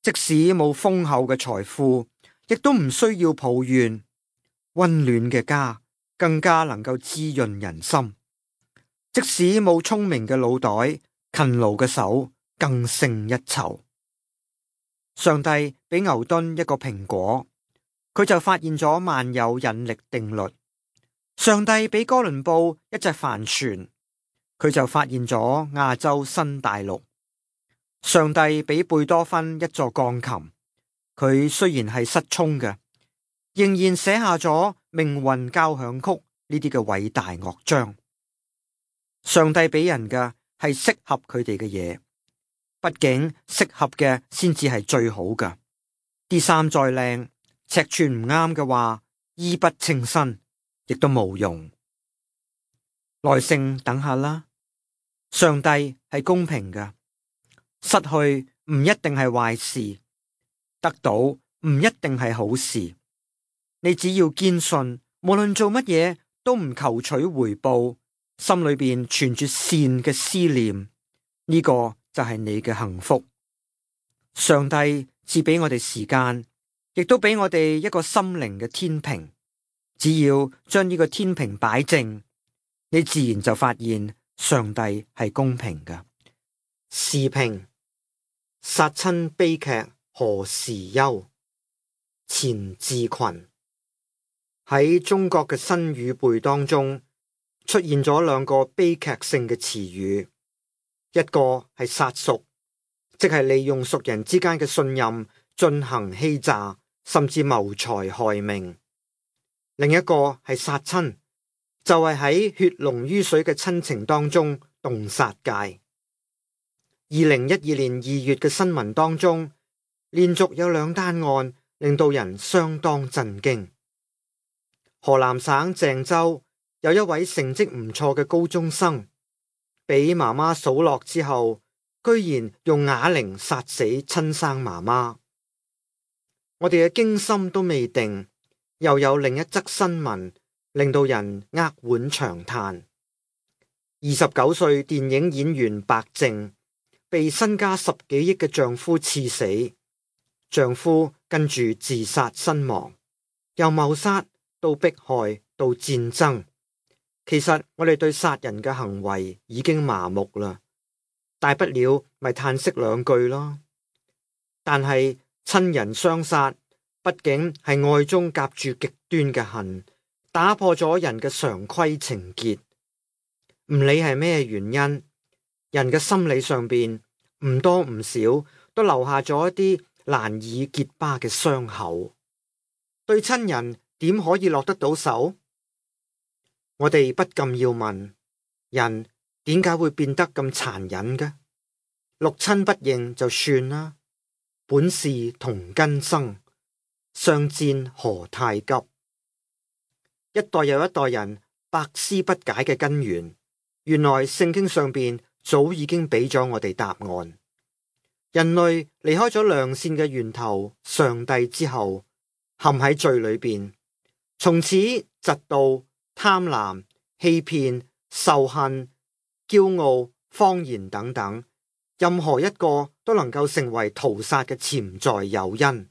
即使冇豐厚嘅財富，亦都唔需要抱怨。溫暖嘅家更加能夠滋潤人心，即使冇聰明嘅腦袋，勤勞嘅手更勝一籌。上帝俾牛頓一個蘋果，佢就發現咗萬有引力定律。上帝俾哥倫布一隻帆船，佢就發現咗亞洲新大陸。上帝俾貝多芬一座鋼琴，佢雖然係失聰嘅，仍然寫下咗命運交響曲呢啲嘅偉大樂章。上帝俾人嘅係適合佢哋嘅嘢，畢竟適合嘅先至係最好嘅。啲衫再靚，尺寸唔啱嘅話，衣不稱身，亦都冇用。耐性等下啦，上帝係公平嘅，失去唔一定係壞事，得到唔一定係好事。你只要堅信，無論做乜嘢都唔求取回報，心裏邊存住善嘅思念，呢個就係你嘅幸福。上帝賜俾我哋時間，亦都俾我哋一個心靈嘅天平。只要將呢個天平擺正，你自然就發現上帝係公平嘅。時評：殺親悲劇何時休？錢志群。喺中國嘅新語彙當中，出現咗兩個悲劇性嘅詞語，一個係殺屬，即係利用屬人之間嘅信任進行欺詐，甚至謀財害命；另一個係殺親，就係喺血濃於水嘅親情當中動殺戒。2012年2月嘅新聞當中，連續有兩單案令到人相當震驚。河南省鄭州有一位成績唔錯嘅高中生，俾媽媽數落之後，居然用啞鈴殺死親生媽媽。我哋嘅驚心都未定，又有另一則新聞令到人扼腕長嘆。29歲電影演員白淨被身家10幾億嘅丈夫刺死，丈夫跟住自殺身亡，由謀殺到迫害到戰爭。其實我哋對殺人嘅行為已經麻木啦，大不了咪嘆息兩句咯。但係親人相殺，畢竟係愛中夾住極端嘅恨，打破咗人嘅常規情結。唔理係咩原因，人嘅心理上邊唔多唔少都留下咗一啲難以結疤嘅傷口。對親人點可以落得到手？我哋不禁要問：人點解會變得咁殘忍嘅？六親不認就算啦，本是同根生，相煎何太急？一代又一代人百思不解嘅根源，原來聖經上邊早已經俾咗我哋答案。人類離開咗良善嘅源頭上帝之後，陷喺罪裏邊，從此嫉妒、貪婪、欺騙、仇恨、驕傲、謊言等等，任何一個都能夠成為屠殺嘅潛在誘因。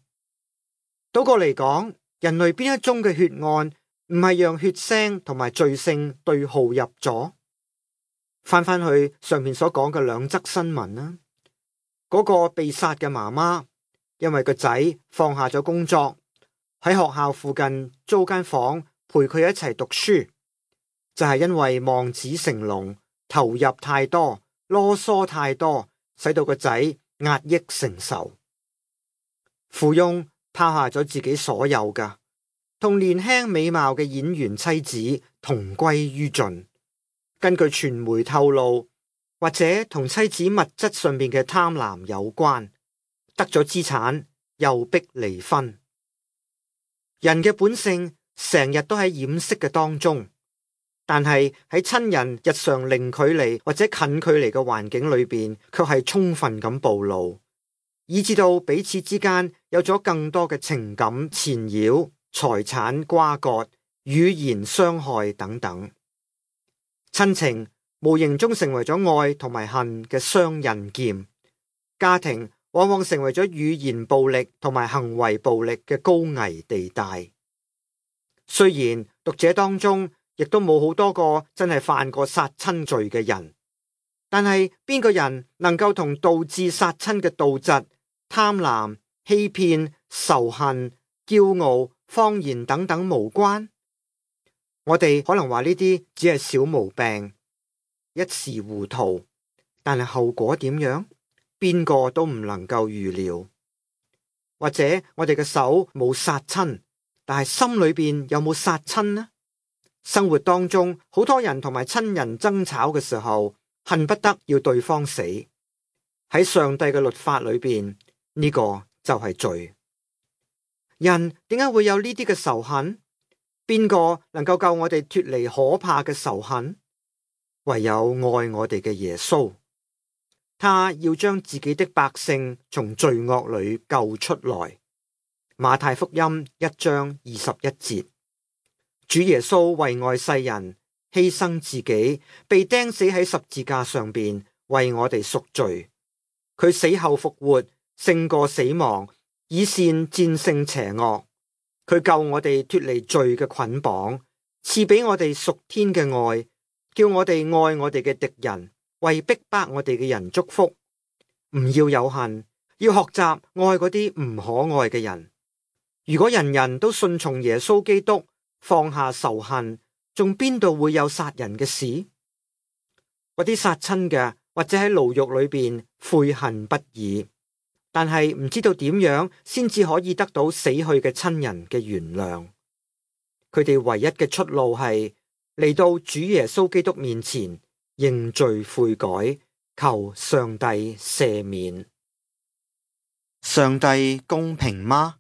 倒過嚟講，人類邊一宗嘅血案唔係讓血腥同埋罪性對號入座？翻返去上面所講嘅兩則新聞啦，嗰個被殺嘅媽媽因為個仔放下咗工作，喺學校附近租間房陪佢一齊讀書，就係因為望子成龍，投入太多，囉嗦太多，使到個仔壓抑承受。富翁拋下咗自己所有㗎，同年輕美貌嘅演員妻子同歸於盡。根據傳媒透露，或者同妻子物質上面嘅貪婪有關，得咗資產又逼離婚。人嘅本性成日都喺掩飾嘅當中，但係喺親人日常零距離或者近距離嘅環境裏邊，卻係充分咁暴露，以致到彼此之間有咗更多嘅情感纏繞、財產瓜葛、語言傷害等等。親情無形中成為咗愛同埋恨嘅雙刃劍，家庭往往成為咗語言暴力同埋行為暴力嘅高危地帶。雖然讀者當中亦都冇好多個真係犯過殺親罪嘅人，但係邊個人能夠同導致殺親嘅妒嫉、貪婪、欺騙、仇恨、驕傲、謊言等等無關？我哋可能話呢啲只係小毛病，一時糊塗，但係後果點樣，邊個都唔能夠預料。或者我哋嘅手冇殺親，但係心裏邊有冇殺親呢？生活當中好多人同埋親人爭吵嘅時候，恨不得要對方死。喺上帝嘅律法裏邊，呢個就係罪。人點解會有呢啲嘅仇恨？邊個能夠救我哋脫離可怕嘅仇恨？唯有愛我哋嘅耶穌，他要將自己的百姓從罪惡裏救出來。馬太福音1章21節，主耶穌為愛世人，犧牲自己，被釘死喺十字架上邊，為我哋贖罪。佢死後復活，勝過死亡，以善戰勝邪惡。佢救我哋脫離罪嘅捆綁，賜俾我哋屬天嘅愛，叫我哋愛我哋嘅敵人，為逼迫我哋嘅人祝福。唔要有恨，要學習愛嗰啲唔可愛嘅人。如果人人都順從耶穌基督，放下仇恨，仲邊度會有殺人嘅事？嗰啲殺親嘅，或者喺牢獄裏邊悔恨不已，但係唔知道點樣先至可以得到死去嘅親人嘅原諒。佢哋唯一嘅出路係嚟到主耶穌基督面前認罪悔改，求上帝赦免。上帝公平嗎？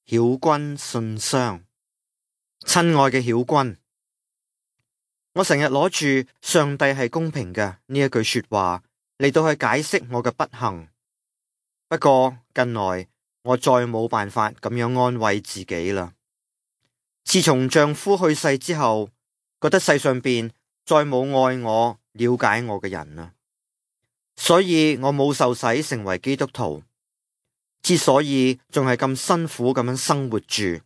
曉君信箱。親愛嘅曉君，我成日攞住上帝係公平嘅呢一句說話嚟到去解釋我嘅不幸。不過近來我再冇辦法咁樣安慰自己啦。自從丈夫去世之後，覺得世上邊再冇愛我、了解我嘅人啦，所以我冇受洗成為基督徒。之所以仲係咁辛苦咁樣生活住，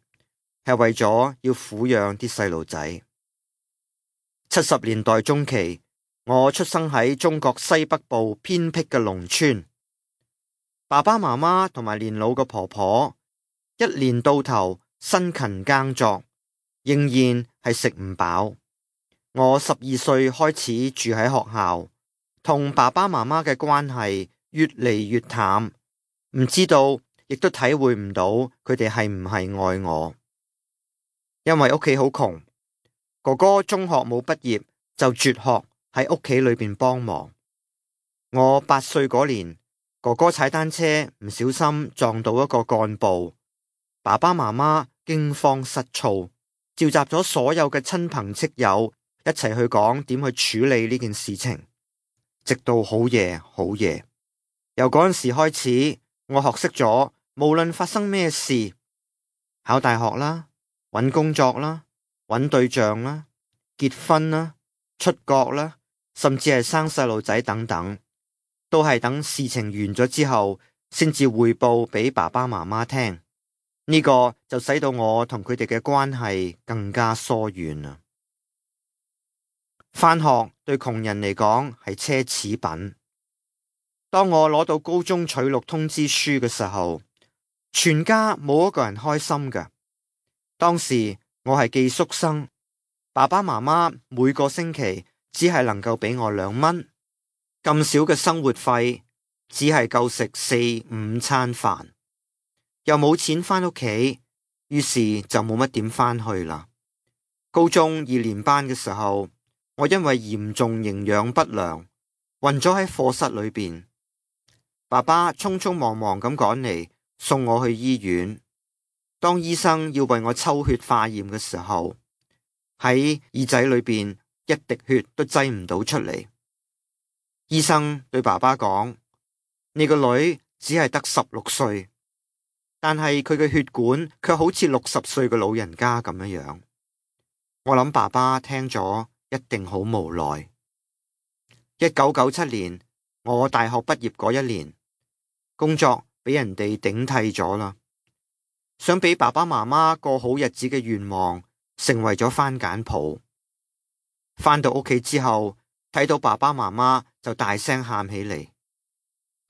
係為咗要撫養啲細路仔。70年代中期，我出生喺中國西北部偏僻嘅農村，爸爸媽媽同埋年老嘅婆婆一年到頭辛勤耕作，仍然係食唔飽。我12歲開始住喺學校，同爸爸媽媽嘅關係越嚟越淡。唔知道，亦都體會唔到佢哋係唔係愛我。因為屋企好窮，哥哥中學冇畢業就輟學喺屋企裏邊幫忙。我8歲嗰年，哥哥踩單車唔小心撞到一個幹部，爸爸媽媽驚慌失措，召集咗所有嘅親朋戚友一齊去講點去處理呢件事情，直到好夜好夜。由嗰陣時開始，我學識咗，無論發生咩事，考大學啦，搵工作啦，搵對象啦，結婚啦，出國啦，甚至係生細路仔等等，都係等事情完咗之後，先至匯報俾爸爸媽媽聽。呢個就使到我同佢哋嘅關係更加疏遠啦。返學對窮人嚟講係奢侈品。當我攞到高中取錄通知書嘅時候，全家冇一個人開心㗎。當時我係寄宿生，爸爸媽媽每個星期只係能夠俾我2蚊，咁少嘅生活費只係夠食4-5餐飯，又冇錢返屋企，於是就冇乜點返去啦。高中2年班嘅時候，我因為嚴重營養不良，暈咗喺課室裏邊。爸爸匆匆忙忙咁趕嚟送我去醫院。當醫生要為我抽血化驗嘅時候，喺耳仔裏邊一滴血都擠唔到出嚟。醫生對爸爸講：你個女只係得16歲，但係佢嘅血管卻好似60歲嘅老人家咁樣。我諗爸爸聽咗一定好無奈。1997年，我大學畢業嗰一年，工作俾人哋頂替咗啦。想俾爸爸媽媽過好日子嘅願望，成為咗番梘泡。返到屋企之後，睇到爸爸媽媽就大聲喊起嚟。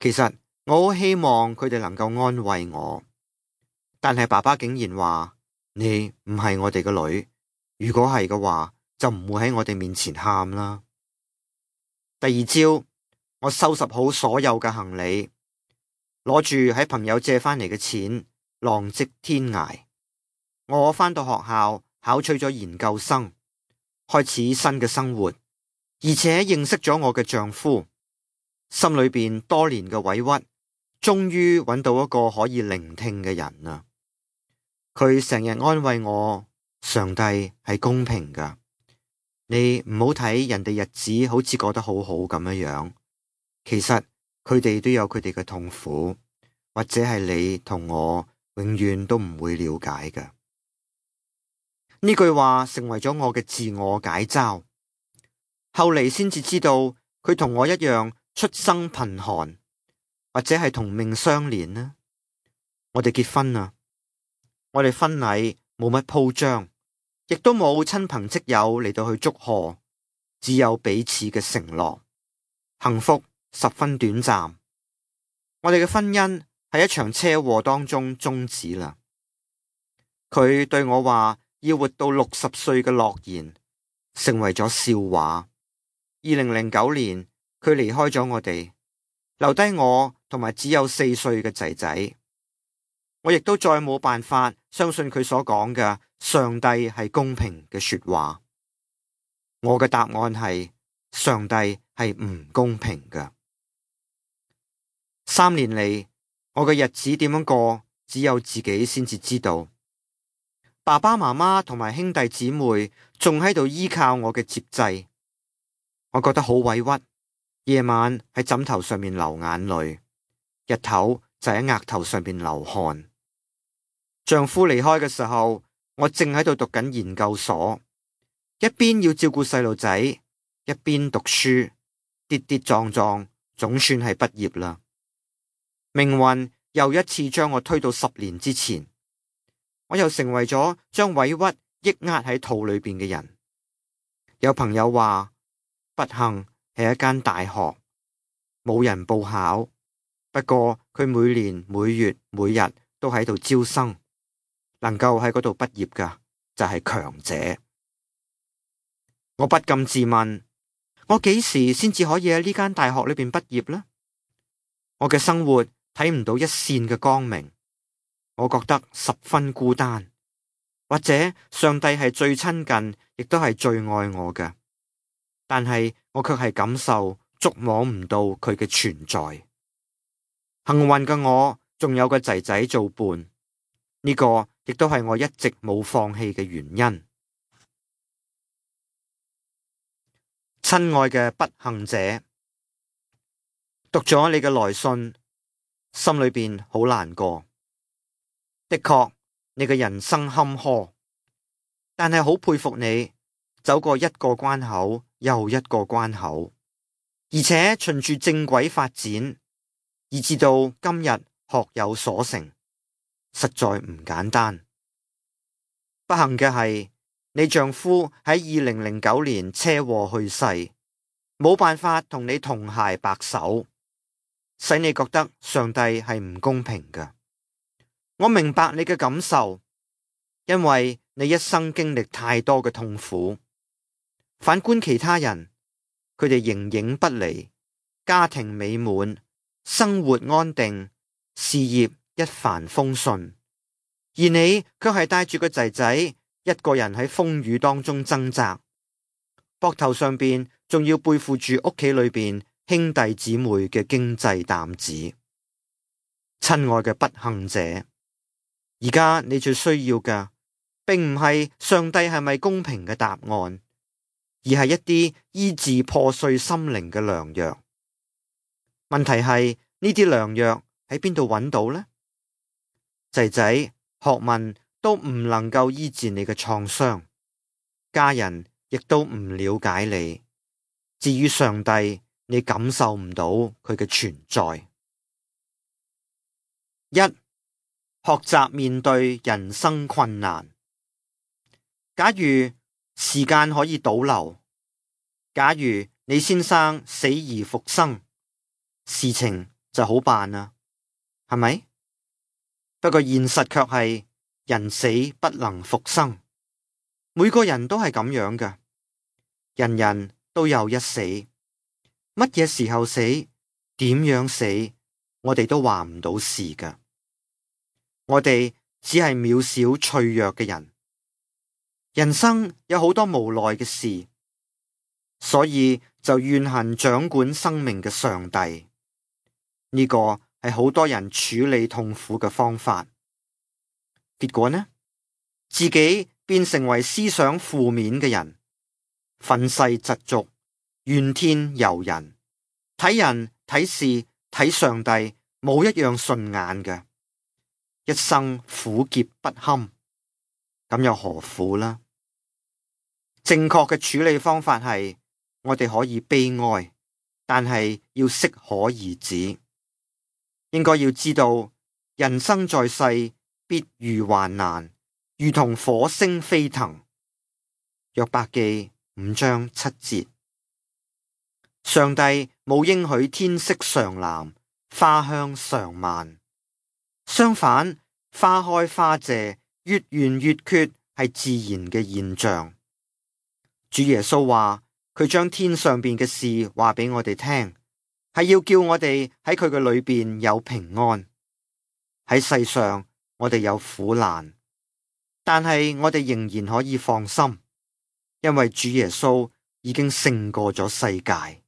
其實我好希望佢哋能夠安慰我，但係爸爸竟然話：你唔係我哋嘅女。如果係嘅話，就唔會喺我哋面前喊啦。第二朝，我收拾好所有嘅行李，攞住喺朋友借返嚟嘅錢，浪跡天涯。我返到學校，考取咗研究生，開始新嘅生活，而且認識咗我嘅丈夫。心裏邊多年嘅委屈，終於揾到一個可以聆聽嘅人啦。佢成日安慰我。上帝係公平噶，你唔好睇人哋日子好似過得好好咁樣，其實佢哋都有佢哋嘅痛苦，或者係你同我永遠都唔會了解噶。呢句話成為咗我嘅自我解嘲。後嚟先至知道佢同我一樣出生貧寒，或者係同命相連呢。我哋結婚啦，我哋婚禮冇乜鋪張。亦都冇親朋戚友嚟到去祝賀，只有彼此嘅承諾，幸福十分短暫。我哋嘅婚姻喺一場車禍當中終止啦。佢對我話要活到60歲嘅諾言，成為咗笑話。2009年，佢離開咗我哋，留低我同埋只有4歲嘅仔仔。我亦都再冇辦法相信佢所講嘅上帝係公平嘅說話。我嘅答案係上帝係唔公平嘅。3年嚟，我嘅日子點樣過，只有自己先至知道。爸爸媽媽同埋兄弟姊妹仲喺度依靠我嘅接濟，我覺得好委屈。夜晚喺枕頭上面流眼淚，日頭就喺額頭上面流汗。丈夫離開嘅時候，我正喺度讀緊研究所，一邊要照顧細路仔，一邊讀書，跌跌撞撞，總算係畢業啦。命運又一次將我推到10年之前，我又成為咗將委屈抑壓喺肚裏邊嘅人。有朋友話，不幸係一間大學，冇人報考，不過佢每年每月每日都喺度招生。能夠喺嗰度畢業嘅就係強者。我不禁自問，我幾時先至可以喺呢間大學裏邊畢業呢？我嘅生活睇唔到一線嘅光明，我覺得十分孤單。或者上帝係最親近，亦都係最愛我嘅，但係我卻係感受觸摸唔到佢嘅存在。幸運嘅我仲有個仔仔做伴，呢個亦都係我一直冇放棄嘅原因。親愛嘅不幸者，讀咗你嘅來信，心裏邊好難過。的確，你嘅人生坎坷，但係好佩服你走過一個關口又一個關口，而且循住正軌發展，以至到今日學有所成，實在唔簡單。不幸嘅係，你丈夫喺2009年車禍去世，冇辦法同你同偕白首，使你覺得上帝係唔公平嘅。我明白你嘅感受，因為你一生經歷太多嘅痛苦，反觀其他人，佢哋形影不離，家庭美滿，生活安定，事業一帆風順。而你卻係帶住個仔仔，一個人喺風雨當中掙扎，膊頭上邊仲要背負住屋企裏邊兄弟姊妹嘅經濟擔子。親愛嘅不幸者，而家你最需要嘅，並唔係上帝係咪公平嘅答案，而係一啲醫治破碎心靈嘅良藥。問題係呢啲良藥喺邊度揾到呢？仔仔，學問都唔能夠醫治你嘅創傷，家人亦都唔了解你。至於上帝，你感受唔到佢嘅存在。一、學習面對人生困難。假如時間可以倒流，假如你先生死而復生，事情就好辦啦，係咪？不過現實卻係人死不能復生，每個人都係咁樣嘅，人人都有一死，乜嘢時候死，點樣死，我哋都話唔到事㗎。我哋只係渺小脆弱嘅人，人生有好多無奈嘅事，所以就怨恨掌管生命嘅上帝。呢個係好多人處理痛苦嘅方法，結果呢，自己變成為思想負面嘅人，憤世嫉俗，怨天尤人，睇人睇事睇上帝冇一樣順眼嘅，一生苦澀不堪，咁又何苦呢？正確嘅處理方法係，我哋可以悲哀，但係要適可而止。應該要知道，人生在世必遇患難，如同火星飛騰。約伯記5章7節。上帝冇應許天色常藍，花香常漫。相反，花開花謝，月圓月缺係自然嘅現象。主耶穌話，佢將天上邊嘅事話俾我哋聽，係要叫我哋喺佢嘅裏邊有平安。喺世上我哋有苦難，但係我哋仍然可以放心，因為主耶穌已經勝過咗世界。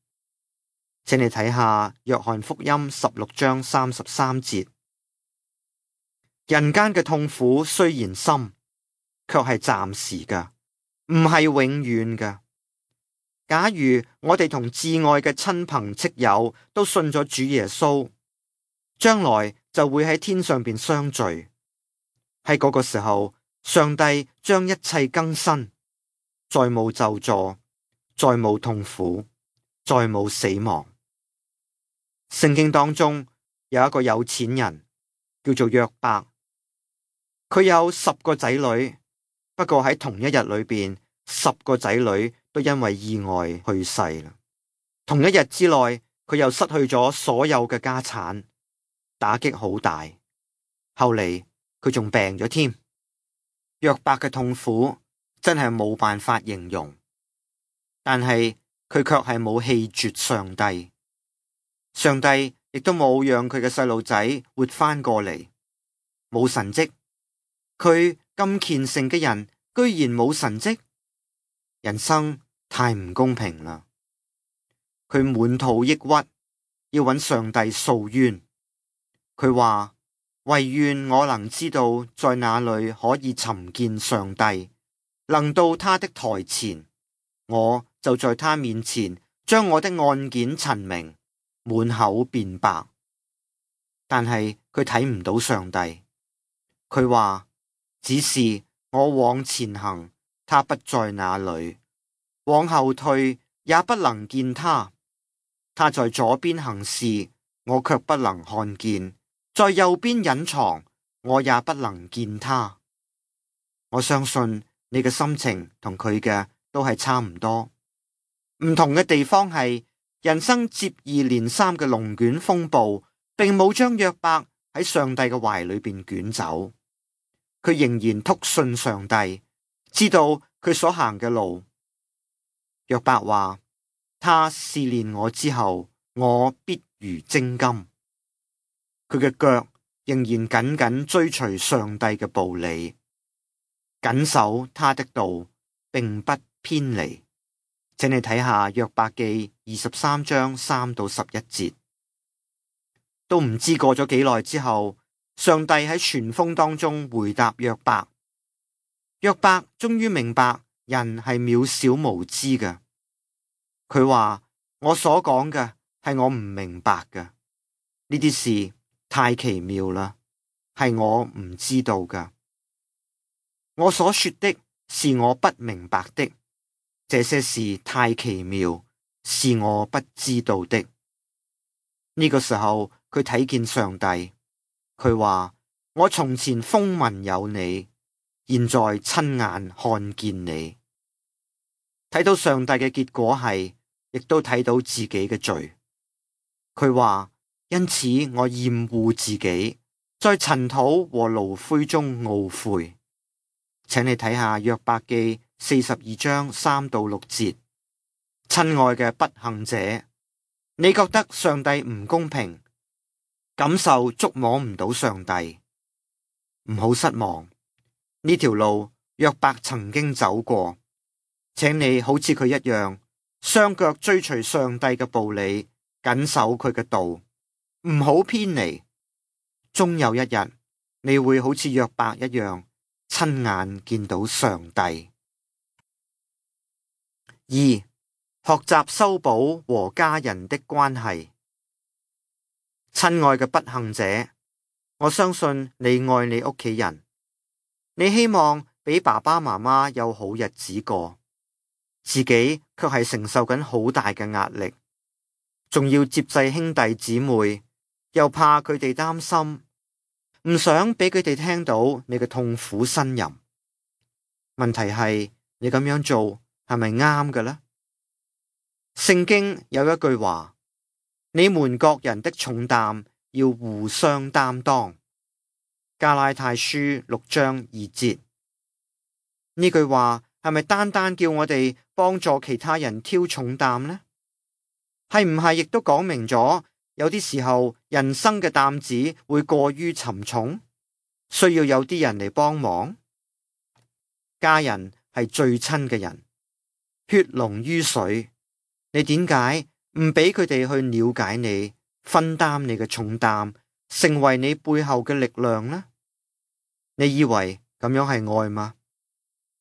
請你睇下約翰福音16章33節。人間嘅痛苦雖然深，卻係暫時嘅，唔係永遠嘅。假如我哋同至愛嘅親朋戚友都信咗主耶穌，將來就會喺天上邊相聚。喺嗰個時候，上帝將一切更新，再冇咒詛，再冇痛苦，再冇死亡。聖經當中有一個有錢人叫做約伯，佢有10個仔女，不過喺同一日裏邊，10個仔女都因為意外去世啦。同一日之內，佢又失去咗所有嘅家產，打擊好大。後嚟佢仲病咗添。約伯嘅痛苦真係冇辦法形容，但係佢卻係冇棄絕上帝。上帝亦都冇讓佢嘅細路仔活翻過嚟，冇神蹟。佢咁虔誠嘅人，居然冇神蹟，人生太唔公平啦！佢滿肚抑鬱，要揾上帝訴冤。佢話：唯願我能知道在哪裏可以尋見上帝，能到他的台前，我就在他面前將我的案件陳明，滿口辯白。但係佢睇唔到上帝。佢話：只是我往前行，他不在那裏；往後退，也不能見他。他在左邊行事，我卻不能看見；在右邊隱藏，我也不能見他。我相信你嘅心情同佢嘅都係差唔多，唔同嘅地方係人生接二連三嘅龍捲風暴，並冇將約伯喺上帝嘅懷裏邊捲走。佢仍然篤信上帝，知道佢所行嘅路。約伯話：他試煉我之後，我必如精金。佢嘅腳仍然緊緊追隨上帝嘅步履，謹守他的道，並不偏離。請你睇下約伯記23章3到11節。都唔知過咗幾耐之後，上帝喺旋風當中回答約伯。約伯終於明白人係渺小無知嘅。佢話：我所講嘅係我唔明白嘅，呢啲事太奇妙啦，係我唔知道嘅。我所說的是我不明白的，這些事太奇妙，是我不知道的。呢個時候佢睇見上帝，佢話：我從前風聞有你，現在親眼看見你。睇到上帝嘅結果係，亦都睇到自己嘅罪。佢話：因此我厭惡自己，在塵土和爐灰中懊悔。請你睇下約伯記42章3到6節。親愛嘅不幸者，你覺得上帝唔公平，感受觸摸唔到上帝，唔好失望。呢條路約伯曾經走過，請你好似佢一樣，雙腳追隨上帝嘅步履，緊守佢嘅道，唔好偏離。終有一日，你會好似約伯一樣，親眼見到上帝。2. 學習修補和家人的關係。親愛嘅不幸者，我相信你愛你屋企人，你希望俾爸爸媽媽有好日子過，自己卻係承受緊好大嘅壓力，仲要接濟兄弟姊妹，又怕佢哋擔心，唔想俾佢哋聽到你嘅痛苦呻吟。問題係你咁樣做係咪啱嘅呢？聖經有一句話：你們各人的重擔要互相擔當。加拉太書6章2節。呢句話係咪單單叫我哋幫助其他人挑重擔呢？係唔係亦都講明咗有啲時候人生嘅擔子會過於沉重，需要有啲人嚟幫忙？家人係最親嘅人，血濃於水。你點解唔俾佢哋去了解你，分擔你嘅重擔，成為你背後嘅力量呢？你以為咁樣係愛嗎？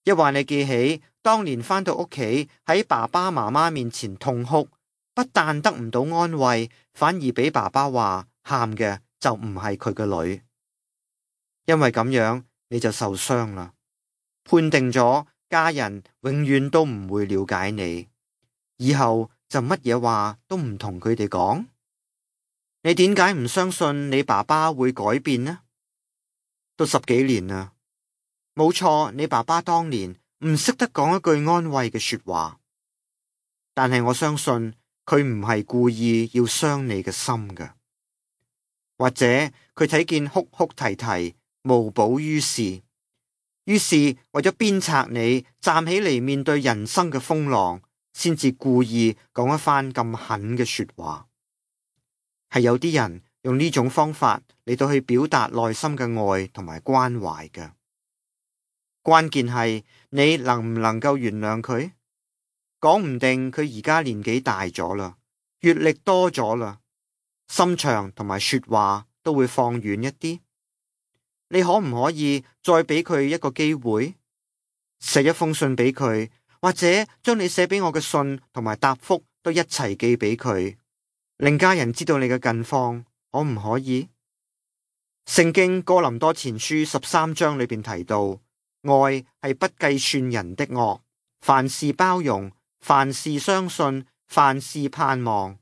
一話你記起當年返到屋企喺爸爸媽媽面前痛哭，不但得唔到安慰，反而俾爸爸話喊嘅就唔係佢嘅女，因為咁樣你就受傷啦，判定咗家人永遠都唔會了解你。以後就乜嘢話都唔同佢哋講。你點解唔相信你爸爸會改變呢？都10幾年啦，冇錯，你爸爸當年唔識得講一句安慰嘅說話，但係我相信佢唔係故意要傷你嘅心㗎，或者佢睇見哭哭啼啼無補於事，於是為咗鞭策你站起嚟面對人生嘅風浪，先至故意講一番咁狠嘅說話。係有啲人用呢種方法嚟到去表達內心嘅愛同埋關懷嘅。關鍵係你能唔能夠原諒佢？講唔定佢而家年紀大咗啦，閱歷多咗啦，心腸同埋說話都會放遠一啲。你可唔可以再俾佢一個機會，寫一封信俾佢？或者將你寫俾我嘅信同埋答覆都一齊寄俾佢，令家人知道你嘅近況，可唔可以？聖經哥林多前書13章裏邊提到，愛係不計算人的惡，凡事包容，凡事相信，凡事盼望。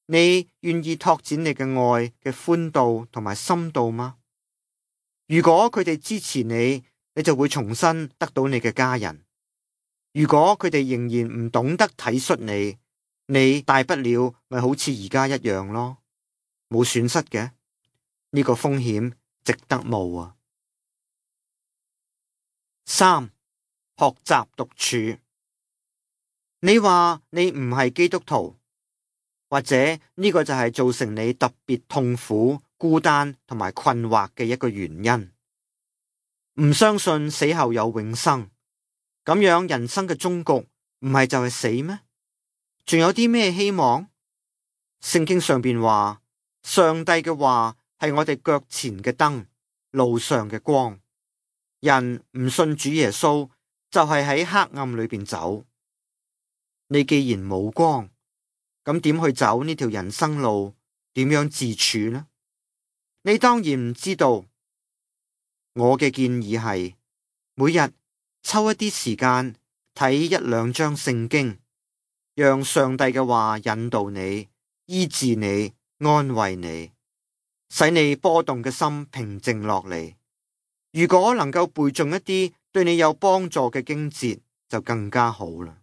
你願意拓展你嘅愛嘅寬度同埋深度嗎？如果佢哋支持你，你就會重新得到你嘅家人。如果佢哋仍然唔懂得體恤你，你大不了咪好似而家一樣咯，冇損失嘅。呢個風險值得冒啊。3. 學習獨處。你話你唔係基督徒，或者呢個就係造成你特別痛苦、孤單同埋困惑嘅一個原因。唔相信死後有永生，咁樣人生嘅終局唔係就係死咩？仲有啲咩希望？聖經上邊話，上帝嘅話係我哋腳前嘅燈，路上嘅光。人唔信主耶穌，就係喺黑暗裏邊走。你既然冇光，咁點去走呢條人生路？點樣自處呢？你當然唔知道。我嘅建議係，每日抽一啲時間睇一兩章聖經，讓上帝嘅話引導你、醫治你、安慰你，使你波動嘅心平靜落嚟。如果能夠背誦一啲對你有幫助嘅經節，就更加好啦。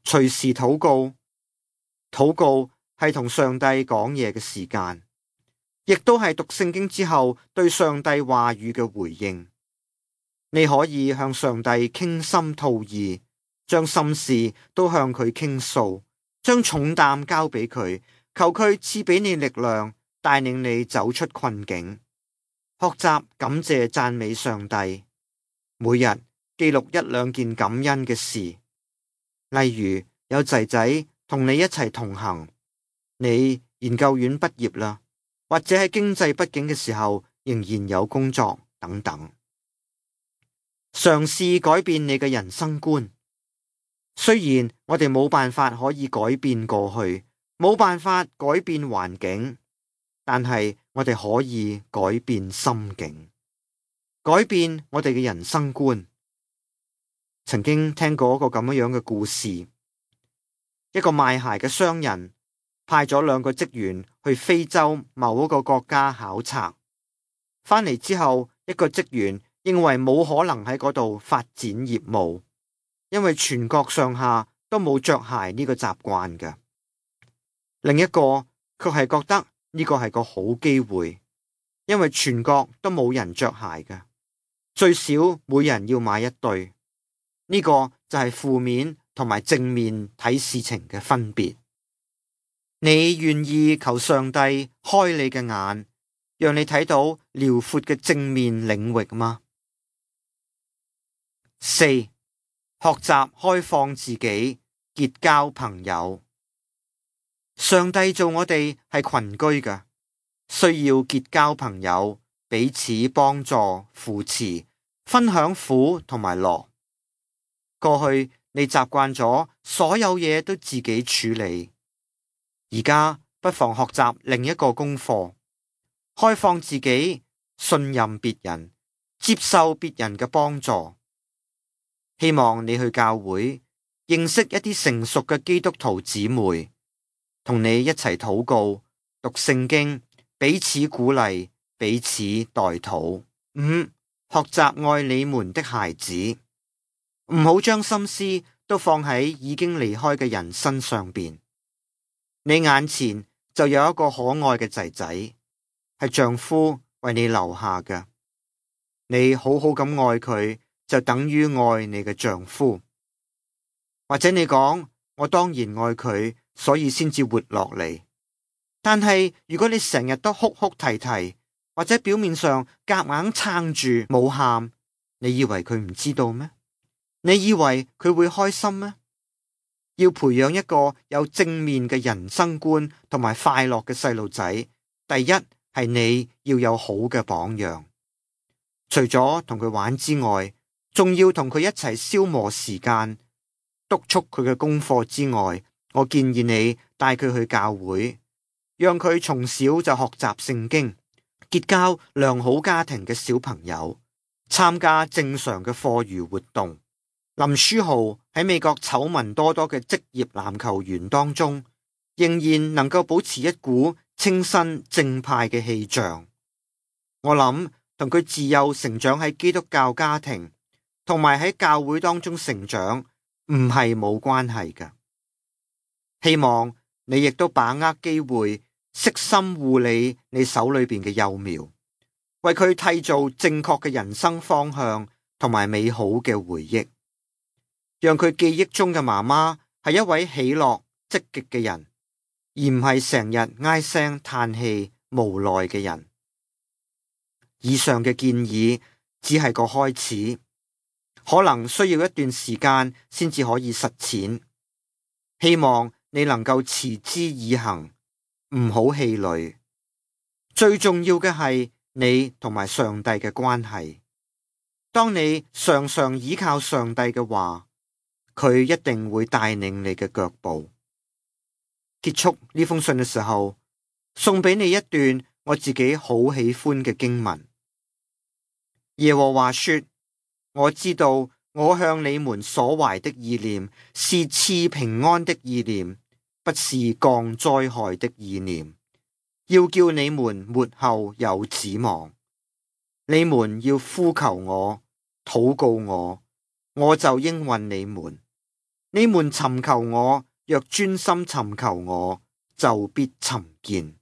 隨時禱告，禱告係同上帝講嘢嘅時間，亦都係讀聖經之後對上帝話語嘅回應。你可以向上帝傾心吐意，將心事都向佢傾訴，將重擔交俾佢，求佢賜俾你力量，帶領你走出困境。學習感謝讚美上帝，每日記錄一兩件感恩嘅事，例如有仔仔同你一齊同行，你研究院畢業啦，或者喺經濟不景嘅時候仍然有工作等等。嘗試改變你嘅人生觀，雖然我哋冇辦法可以改變過去，冇辦法改變環境，但係我哋可以改變心境，改變我哋嘅人生觀。曾經聽過一個咁樣嘅故事，一個賣鞋嘅商人派咗兩個職員去非洲某一個國家考察，返嚟之後，一個職員認為冇可能喺嗰度發展業務，因為全國上下都冇着鞋呢個習慣嘅。另一個卻係覺得呢個係個好機會，因為全國都冇人着鞋嘅，最少每人要買一對。呢個就係負面同埋正面睇事情嘅分別。你願意求上帝開你嘅眼，讓你睇到遼闊嘅正面領域嗎？4. 學習開放自己，結交朋友。上帝做我哋係群居嘅，需要結交朋友，彼此幫助、扶持，分享苦同埋樂。過去你習慣咗所有嘢都自己處理，而家不妨學習另一個功課，開放自己，信任別人，接受別人嘅幫助。希望你去教會，認識一啲成熟嘅基督徒姊妹，同你一齊禱告、讀聖經，彼此鼓勵，彼此代禱。5. 學習愛你們的孩子。唔好將心思都放喺已經離開嘅人身上邊。你眼前就有一個可愛嘅仔仔，係丈夫為你留下嘅。你好好咁愛佢，就等於愛你嘅丈夫。或者你講，我當然愛佢，所以先至活落嚟。但係如果你成日都哭哭啼啼，或者表面上夾硬撐住冇喊，你以為佢唔知道咩？你以為佢會開心咩？要培養一個有正面嘅人生觀同埋快樂嘅細路仔，第一係你要有好嘅榜樣。除咗同佢玩之外，仲要同佢一齊消磨時間，督促佢嘅功課之外，我建議你帶佢去教會，讓佢從小就學習聖經，結交良好家庭嘅小朋友，參加正常嘅課餘活動。林書豪喺美國醜聞多多嘅職業籃球員當中，仍然能夠保持一股清新正派嘅氣象。我諗同佢自幼成長喺基督教家庭，同埋喺教會當中成長，唔係冇關係嘅。希望你亦都把握機會，悉心護理你手裏邊嘅幼苗，為佢締造正確嘅人生方向同埋美好嘅回憶。讓佢記憶中嘅媽媽係一位喜樂積極嘅人，而唔係成日唉聲嘆氣無奈嘅人。以上嘅建議只係個開始，可能需要一段時間先至可以實踐。希望你能夠持之以恆，唔好氣餒。最重要嘅係你同埋上帝嘅關係。當你常常倚靠上帝嘅話，佢一定會帶領你嘅腳步。結束呢封信嘅時候，送俾你一段我自己好喜歡嘅經文。耶和華說：我知道我向你們所懷的意念是賜平安的意念，不是降災害的意念，要叫你們末後有指望。你們要呼求我，禱告我，我就應允你們。你們尋求我，若專心尋求我，就必尋見。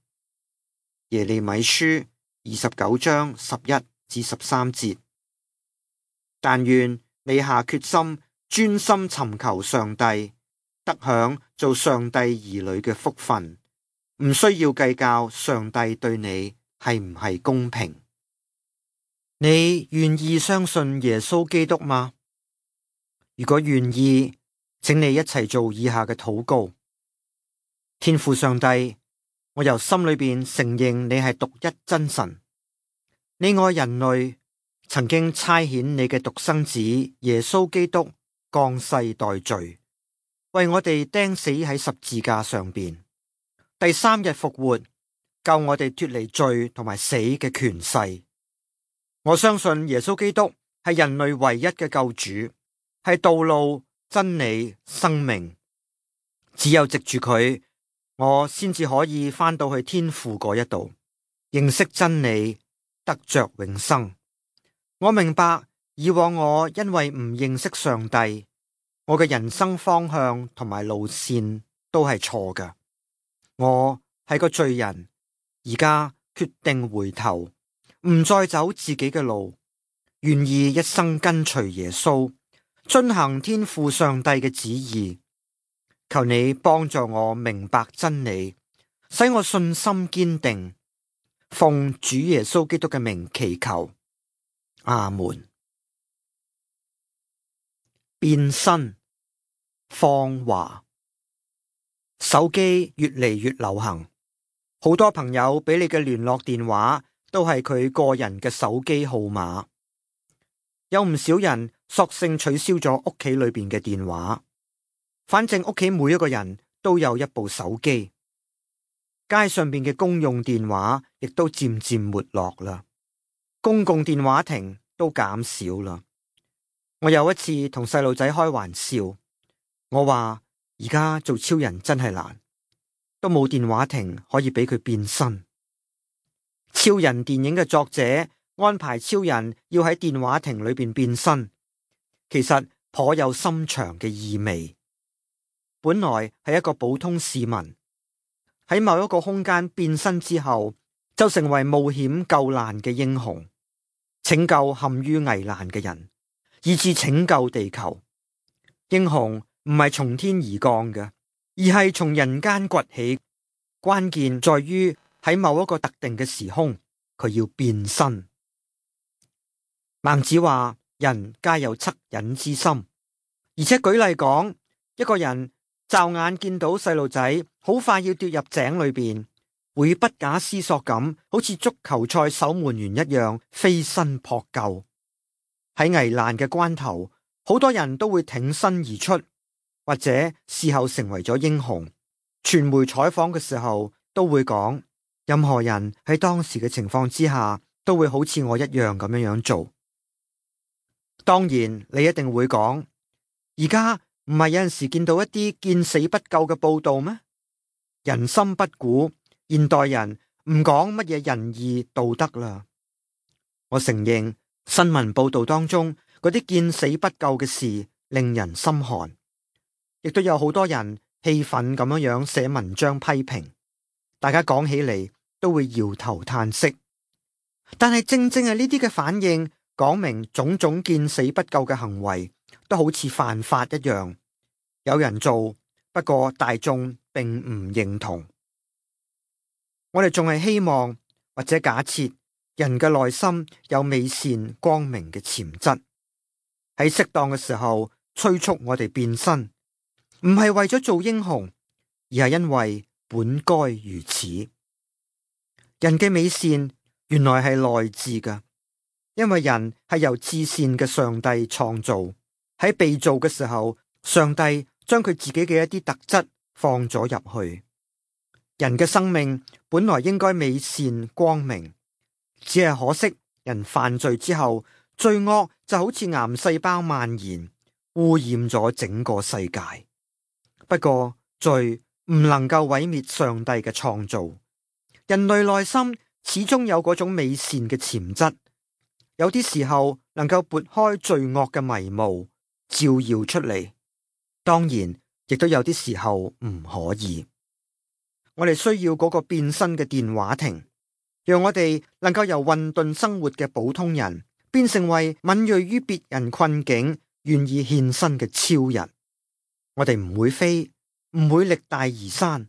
耶利米書29章11至13節。但願你下決心，專心尋求上帝，得享做上帝兒女嘅福分，唔需要計較上帝對你係唔係公平。你願意相信耶穌基督嗎？如果願意，請你一齊做以下嘅禱告。天父上帝，我由心裏邊承認你係獨一真神，你愛人類，曾經差遣你嘅獨生子耶穌基督降世代罪，為我哋釘死喺十字架上邊，第3日復活，救我哋脫離罪同埋死嘅權勢。我相信耶穌基督係人類唯一嘅救主，係道路、真理、生命。只有藉住佢，我先至可以返到去天父嗰一度，認識真理，得着永生。我明白以往我因為唔認識上帝，我嘅人生方向同埋路線都係錯㗎。我係個罪人，而家決定回頭，唔再走自己嘅路，願意一生跟隨耶穌，遵行天父上帝嘅旨意。求你幫助我明白真理，使我信心堅定。奉主耶穌基督嘅名祈求，阿門。變身芳華，手機越嚟越流行，好多朋友俾你嘅聯絡電話都係佢個人嘅手機號碼。有唔少人索性取消咗屋企裏邊嘅電話，反正屋企每一個人都有一部手機。街上邊嘅公用電話亦都漸漸沒落啦，公共電話亭都減少啦。我有一次同細路仔開玩笑，我話而家做超人真係難，都冇電話亭可以俾佢變身。超人電影嘅作者安排超人要喺電話亭裏邊變身，其實頗有深長嘅意味。本來係一個普通市民，喺某一個空間變身之後，就成為冒險救難嘅英雄，拯救陷於危難嘅人，以至拯救地球。英雄唔係從天而降嘅，而係從人間崛起。關鍵在於喺某一個特定嘅時空，佢要變身。孟子話：人皆有惻隱之心，而且舉例講，一個人驟眼見到細路仔好快要跌入井裏邊，會不假思索咁，好似足球賽守門員一樣飛身撲救。喺危難嘅關頭，好多人都會挺身而出，或者事後成為咗英雄。傳媒採訪嘅時候都會講，任何人喺當時嘅情況之下，都會好似我一樣咁樣做。當然，你一定會講，而家唔係有陣時見到一啲見死不救嘅報道咩？人心不古，現代人唔講乜嘢仁義道德啦。我承認新聞報道當中嗰啲見死不救嘅事令人心寒，亦都有好多人氣憤咁樣寫文章批評，大家講起嚟都會搖頭嘆息。但係正正係呢啲嘅反應，講明種種見死不救嘅行為都好似犯法一樣，有人做，不過大眾並唔認同。我哋仲係希望或者假設人嘅內心有美善光明嘅潛質，喺適當嘅時候催促我哋變身，唔係為咗做英雄，而係因為本該如此。人嘅美善原來係內置嘅，因為人係由至善嘅上帝創造。喺被造嘅時候，上帝將佢自己嘅一啲特質放咗入去。人嘅生命本來應該美善光明，只係可惜人犯罪之後，罪惡就好似癌細胞蔓延，污染咗整個世界。不過罪唔能夠毀滅上帝嘅創造，人類內心始終有嗰種美善嘅潛質，有啲時候能夠撥開罪惡嘅迷霧，照耀出嚟。當然，亦都有啲時候唔可以。我哋需要嗰個變身嘅電話亭，讓我哋能夠由混沌生活嘅普通人，變成為敏銳於別人困境、願意獻身嘅超人。我哋唔會飛，唔會力大而山，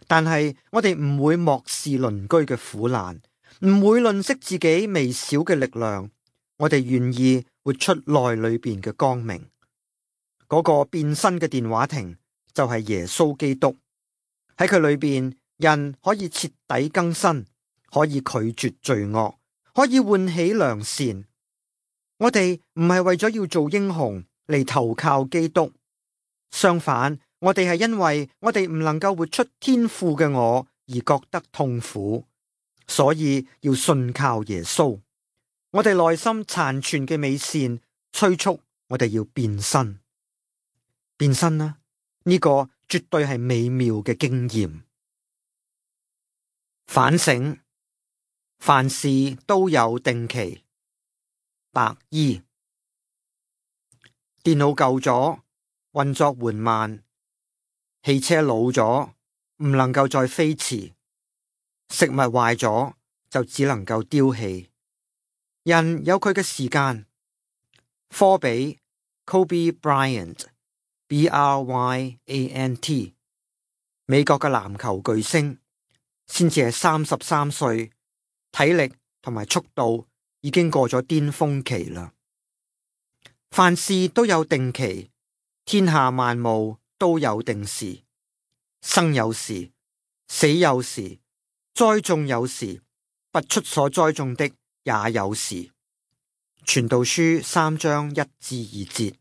但係我哋唔會漠視鄰居嘅苦難，唔會吝嗇自己微小嘅力量。我哋願意活出內裏邊嘅光明。嗰個變身嘅電話亭就係耶穌基督。喺佢裏邊，人可以徹底更新，可以拒絕罪惡，可以喚起良善。我哋唔係為咗要做英雄嚟投靠基督，相反，我哋係因為我哋唔能夠活出天父嘅我而覺得痛苦，所以要信靠耶穌。我哋內心殘存嘅美善催促我哋要變身。變身啦，呢個絕對係美妙嘅經驗。反省，凡事都有定期。白衣。電腦舊咗，運作緩慢；汽車老咗，唔能夠再飛馳；食物壞咗，就只能夠丟棄。人有佢嘅時間。科比 Kobe Bryant。Bryant， 美國嘅籃球巨星，先至係33歲，體力同埋速度已經過咗巔峰期啦。凡事都有定期，天下萬物都有定時，生有時，死有時，栽種有時，拔出所栽種的也有時。傳道書3章1至2節。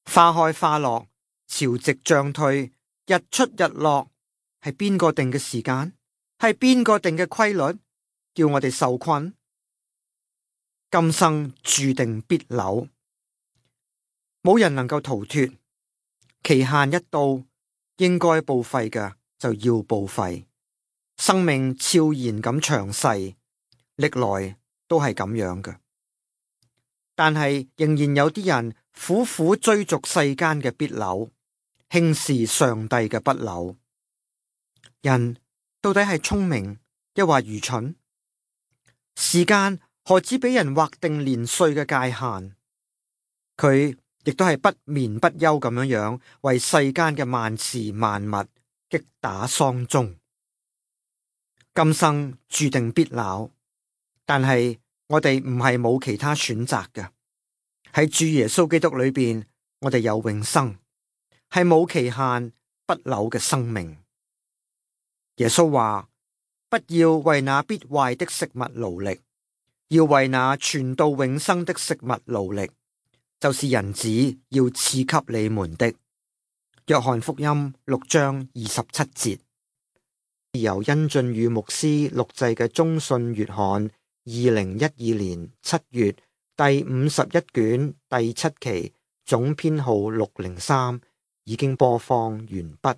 花開花落，潮汐漲退，日出日落，係邊個定嘅時間？係邊個定嘅規律？叫我哋受困？今生注定必朽，冇人能夠逃脫。期限一到，應該報廢嘅就要報廢。生命悄然咁長逝，歷來都係咁樣嘅。但係仍然有啲人苦苦追逐世間嘅必朽，輕視上帝嘅不朽。人到底係聰明抑或愚蠢？時間何止俾人劃定年歲嘅界限？佢亦都係不眠不休咁樣為世間嘅萬事萬物擊打喪鐘。今生注定必朽，但係我哋唔係冇其他選擇嘅。喺主耶穌基督裏邊，我哋有永生，係冇期限不朽嘅生命。耶穌話：不要為那必壞的食物勞力，要為那存到永生的食物勞力，就是人子要賜給你們的。約翰福音6章27節。由殷俊宇牧師錄製嘅中信月刊2012年7月第51卷第7期總編號603已經播放完畢。